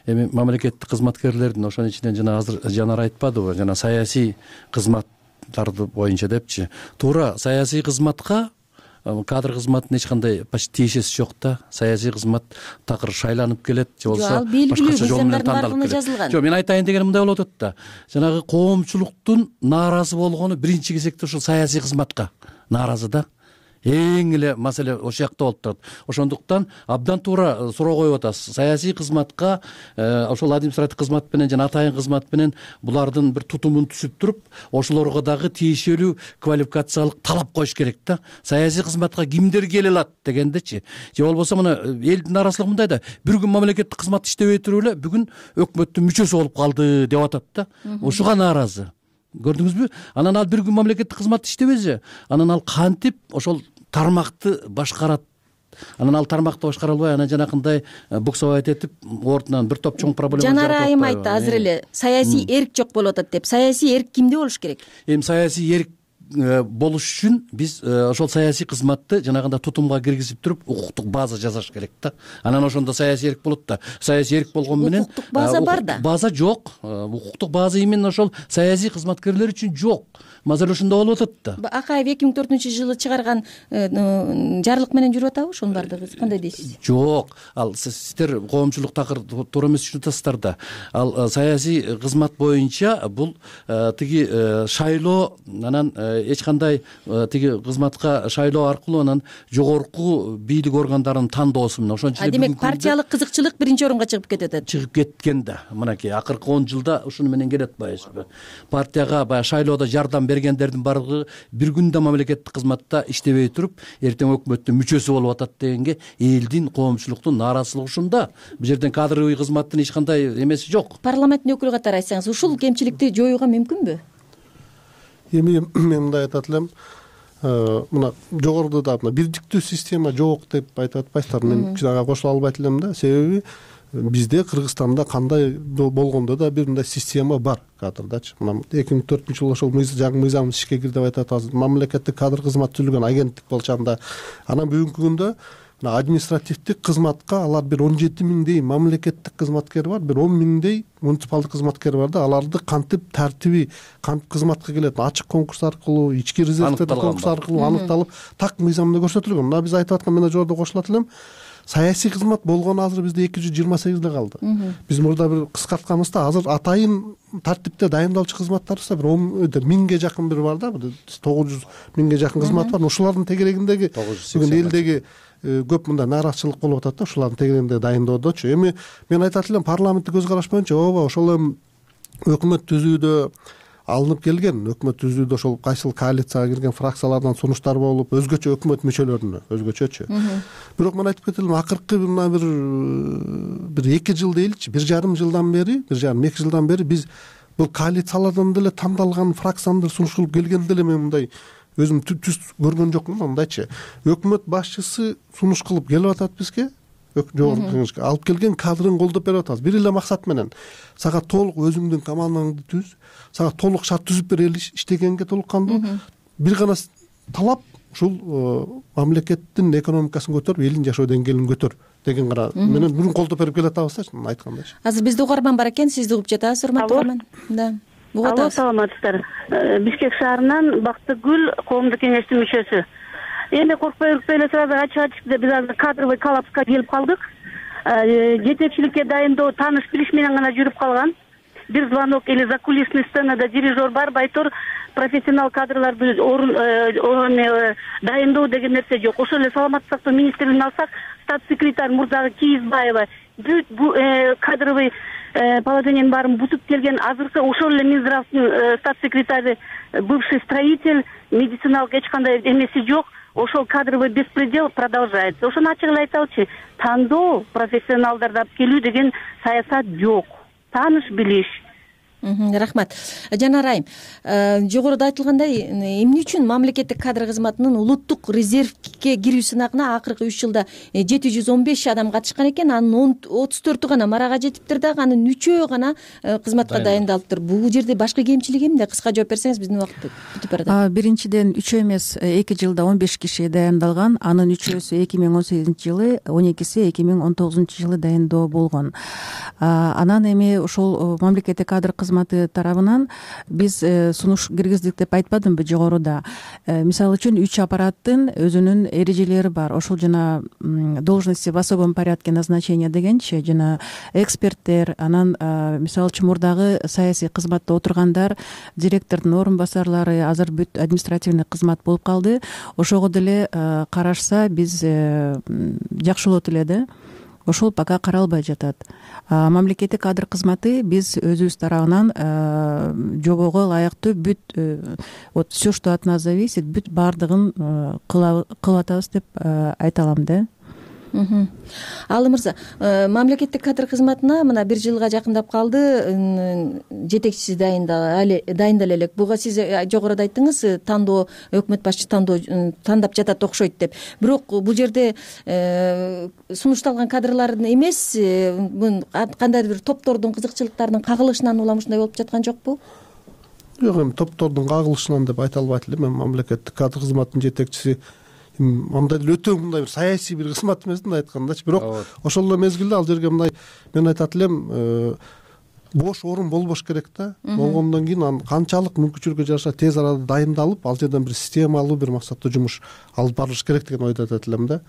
эми мамлекеттик кызматкерлердин ошонун ичинен жана азыр Жанар айтпадыбы, жана саясий кызматтарды боюнча депчи. Туура, саясий кызматка кадр кызматынын эч кандай почти тиешеси жок да. Саясий кызмат такыр шайланып келет, же болбосо башкача жол менен тандалып келет. Жок, мен айтайын дегеним мындай болуп атат да. Жанагы коомчулуктун нааразы болгону биринчи кезекте ушул саясий кызматка нааразы да. эң эле маселе ошол жакта болуп турат. Ошондуктан абдан туура суроо коюп атасыз. Саясий кызматка ошол административдик кызмат менен жана атайын кызмат менен булардын бир тутумун түзүп туруп, ошолорго дагы тиешелүү квалификациялык талап коюш керек да. Саясий кызматка кимдер келе алат дегендечи. Же болбосо мына элдин нааразычылыгы мындай да, бир күн мамлекеттик кызмат иштебей туруп эле бүгүн өкмөттүн мүчөсү болуп калды деп атат да. Ушуга нааразы. Көрдүңүзбү? Анан ал бир күн мамлекеттик кызмат иштебесе, анан ал кантип ошол тармакты башкарат? Анан ал тармакты башкара албай, анан жанакындай буксовать этип, ордунан бир топ чоң проблема жаратып Жанара айым айтты азыр эле саясий эрк жок болуп атат деп. Саясий эрк кимде болуш керек? Эми саясий эрк болуш үчүн биз ошол саясий кызматты жанагындай тутумга киргизип туруп, укуктук база жасаш керек да. Анан ошондо саясий эрк болот да. Саясий эрк болгон менен укуктук база бар да. База жок. Укуктук база именно ошол саясий кызматкерлер үчүн жок. Мазыр ошондо болуп атат да. Акаев эки миң төртүнчү жылы чыгарган жарлык менен жүрүп атабы ошонун бардыгы? Кандай дейсиз? Жок. Ал сиздер коомчулук такыр туура эмес түшүнүп атасыздар да. Ал саясий кызмат боюнча бул тиги шайлоо, анан эч кандай тиги кызматка шайлоо аркылуу анан жогорку бийлик органдарын тандоосу менен ошон үчүн демек партиялык кызыкчылык биринчи орунга чыгып кетет. Чыгып кеткен да. Мынакей акыркы он жылда ушуну менен келет атпайсызбы? Партияга баягы шайлоодо жардам бергендердин бардыгы бир күндө мамлекеттик кызматта иштебей туруп, эртең өкмөттүн мүчөсү болуп атат дегенге элдин, коомчулуктун нааразычылыгы ушунда. Бул жерден кадровый кызматтын эч кандай эмеси жок. Парламенттин өкүлү катары айтсаңыз, ушул кемчиликти жоюуга мүмкүнбү? Эми мен мындай айтат элем, мына жогоруда да мына бирдиктүү система жок деп айтып атпайсыздар. Мен ага кошула албайт элем да. Себеби бизде Кыргызстанда кандай болгондо да бир мындай система бар кадрдачы. Мына эки миң төртүнчү жылы ошол жаңы мыйзам ишке кирди деп айтат. Азыр мамлекеттик кадр кызмат түзүлгөн агенттик болчанда, анан бүгүнкү күндө мына административдик кызматка алар бир он жети миңдей мамлекеттик кызматкер бар, бир он миңдей муниципалдык кызматкер бар да. Аларды кантип тартиби, кантип кызматка келет, ачык конкурс аркылуу, ички резервдерден конкурс аркылуу аныкталып, так мыйзамда көрсөтүлгөн. Мына биз айтып аткан, мен жогоруда кошулат элем, саясий кызмат болгону азыр бизде эки жүз жыйырма сегизде калды. Биз мурда бир кыскартканыбызда азыр атайын тартипте дайындалчу кызматтарыбызда бир миңге жакын бир бар да, тогуз жүз миңге жакын кызмат бар. Ушулардын тегерегиндеги бүгүн элдеги көп мындай нааразычылык болуп атат да, ушулардын тегерегинде дайындоодочу. Эми мен айтат элем, парламенттик көз караш боюнча ооба ошол эми өкмөт түзүүдө алынып келген, өкмөт түзүүдө ошол кайсыл коалицияга кирген фракциялардан сунуштар болуп, өзгөчө өкмөт мүчөлөрүнө, өзгөчөчү. Бирок мен айтып кетелим, акыркы мына бир бир эки жыл дейиличи, бир жарым жылдан бери, бир жарым эки жылдан бери биз бул коалициялардан деле тандалган фракциянын сунуш кылып келгенде деле мен мындай өзүм түз көргөн жокмун. Мындайчы, өкмөт башчысы сунуш кылып келип атат бизге, жогорку кеңешке алып келген кадрын колдоп берип атабыз. Бир эле максат менен сага толук өзүңдүн командаңды түз, сага толук шарт түзүп берели, иштегенге толук кандуу. Бир гана талап ушул мамлекеттин экономикасын көтөрүп, элдин жашоо деңгээлин көтөр деген гана менен бүгүн колдоп берип келатабыз да, айткандайчы. Азыр бизде угарман бар экен, сизди угуп жатабыз, урматтуу угарман. Да. Алло, саламатсыздар. Бишкек шаарынан Бактыгүл, коомдук кеңештин мүчөсү. Эми коркпой үркпөй эле сразу ачык-ачык биз азыр кадровый коллапска келип калдык. Жетекчиликке дайындоо тааныш билиш менен гана жүрүп калган. Бир звонок или закулисный сценада дирижер бар, байтор профессионал кадрлар орун дайындоо деген нерсе жок. Ошол эле саламаттык сактоо министрлигин алсак, статс секретарь Мурдагы Кийизбаева бүт бул кадровый положениянын баарын бутуп келген. Азыркы ошол эле Минздравдын статс секретары, бывший строитель, медициналык эч кандай эмеси жок. Ошол кадровый беспредел продолжается. Ошону ачык эле айталычы, тандоо профессионалдарды алып келүү деген саясат жок. Тааныш билиш. Рахмат. Жанар айым, жогоруда айтылгандай, эмне үчүн мамлекеттик кадр кызматынын улуттук резервге кирүү сынагына акыркы үч жылда жети жүз он беш адам катышкан экен, анын отуз төртү гана марага жетиптир дагы, анын үчөө гана кызматка дайындалыптыр. Бул жерде башкы кемчилиги эмне? Кыска жооп берсеңиз, биздин убакыт бүтүп барат. Биринчиден үчөө эмес, эки жылда он беш киши дайындалган, анын үчөөсү эки миң он сегизинчи жылы, он экиси эки миң он тогузунчу жылы дайындоо болгон. Анан эми ошол мамлекеттик кадр кызматы тарабынан биз сунуш киргиздик деп айтпадымбы жогоруда. Мисалы үчүн үч аппараттын өзүнүн эрежелери бар. Ошол жана должности в особом порядке назначения дегенчи жана эксперттер, анан мисалы үчүн мурдагы саясий кызматта отургандар, директордун орун басарлары азыр бүт административный кызмат болуп калды. Ошого деле карашса биз жакшы болот эле да. Ошол пока каралбай жатат. Мамлекеттик кадр кызматы биз өзүбүз тарабынан жобого ылайыктуу бүт вот все, что от нас зависит, бүт баардыгын кылып атабыз деп айта алам да. Алы мырза, мамлекеттик кадр кызматына мына бир жылга жакындап калды, жетекчиси дайындала элек. Буга сиз жогоруда айттыңыз, тандоо, өкмөт башчы тандоо тандап жатат окшойт деп. Бирок бул жерде сунушталган кадрлардын эмес, кандайдыр бир топтордун кызыкчылыктарынын кагылышынан улам ушундай болуп жаткан жокпу? Жок, эми топтордун кагылышынан деп айта албайт элем. Мен мамлекеттик кадр кызматынын жетекчиси андай деле өтө мындай бир саясий бир кызмат эмес, мындай айткандачы. Бирок ошол эле мезгилде ал жерге мындай мен айтат элем, бош орун болбош керек да. Болгондон кийин анын канчалык мүмкүнчүлүккө жараша тез арада дайындалып, ал жерден бир системалуу бир максаттуу жумуш алып барылыш керек деген ойду айтат элем да.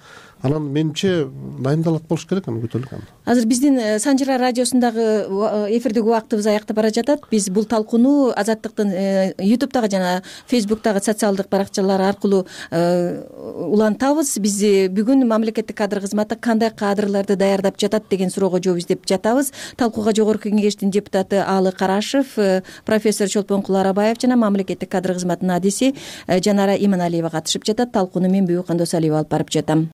Анан менимче дайындалат болуш керек, аны күтөлүк. Азыр биздин Санжыра радиосундагы эфирдеги убактыбыз аякта бара жатат. Биз бул талкууну Азаттыктын ютубтагы жана фейсбуктагы социалдык баракчалар аркылуу улантабыз. Биз бүгүн мамлекеттик кадр кызматы кандай кадрларды даярдап жатат деген суроого жооп издеп жатабыз. Талкууга жогорку кеңештин депутаты Алы Карашев, профессор Чолпонкул Арабаев жана мамлекеттик кадр кызматынын адиси Жанара Иманалиева катышып жатат. Талкууну мен Бүбү Кандосалиева алып барып жатам.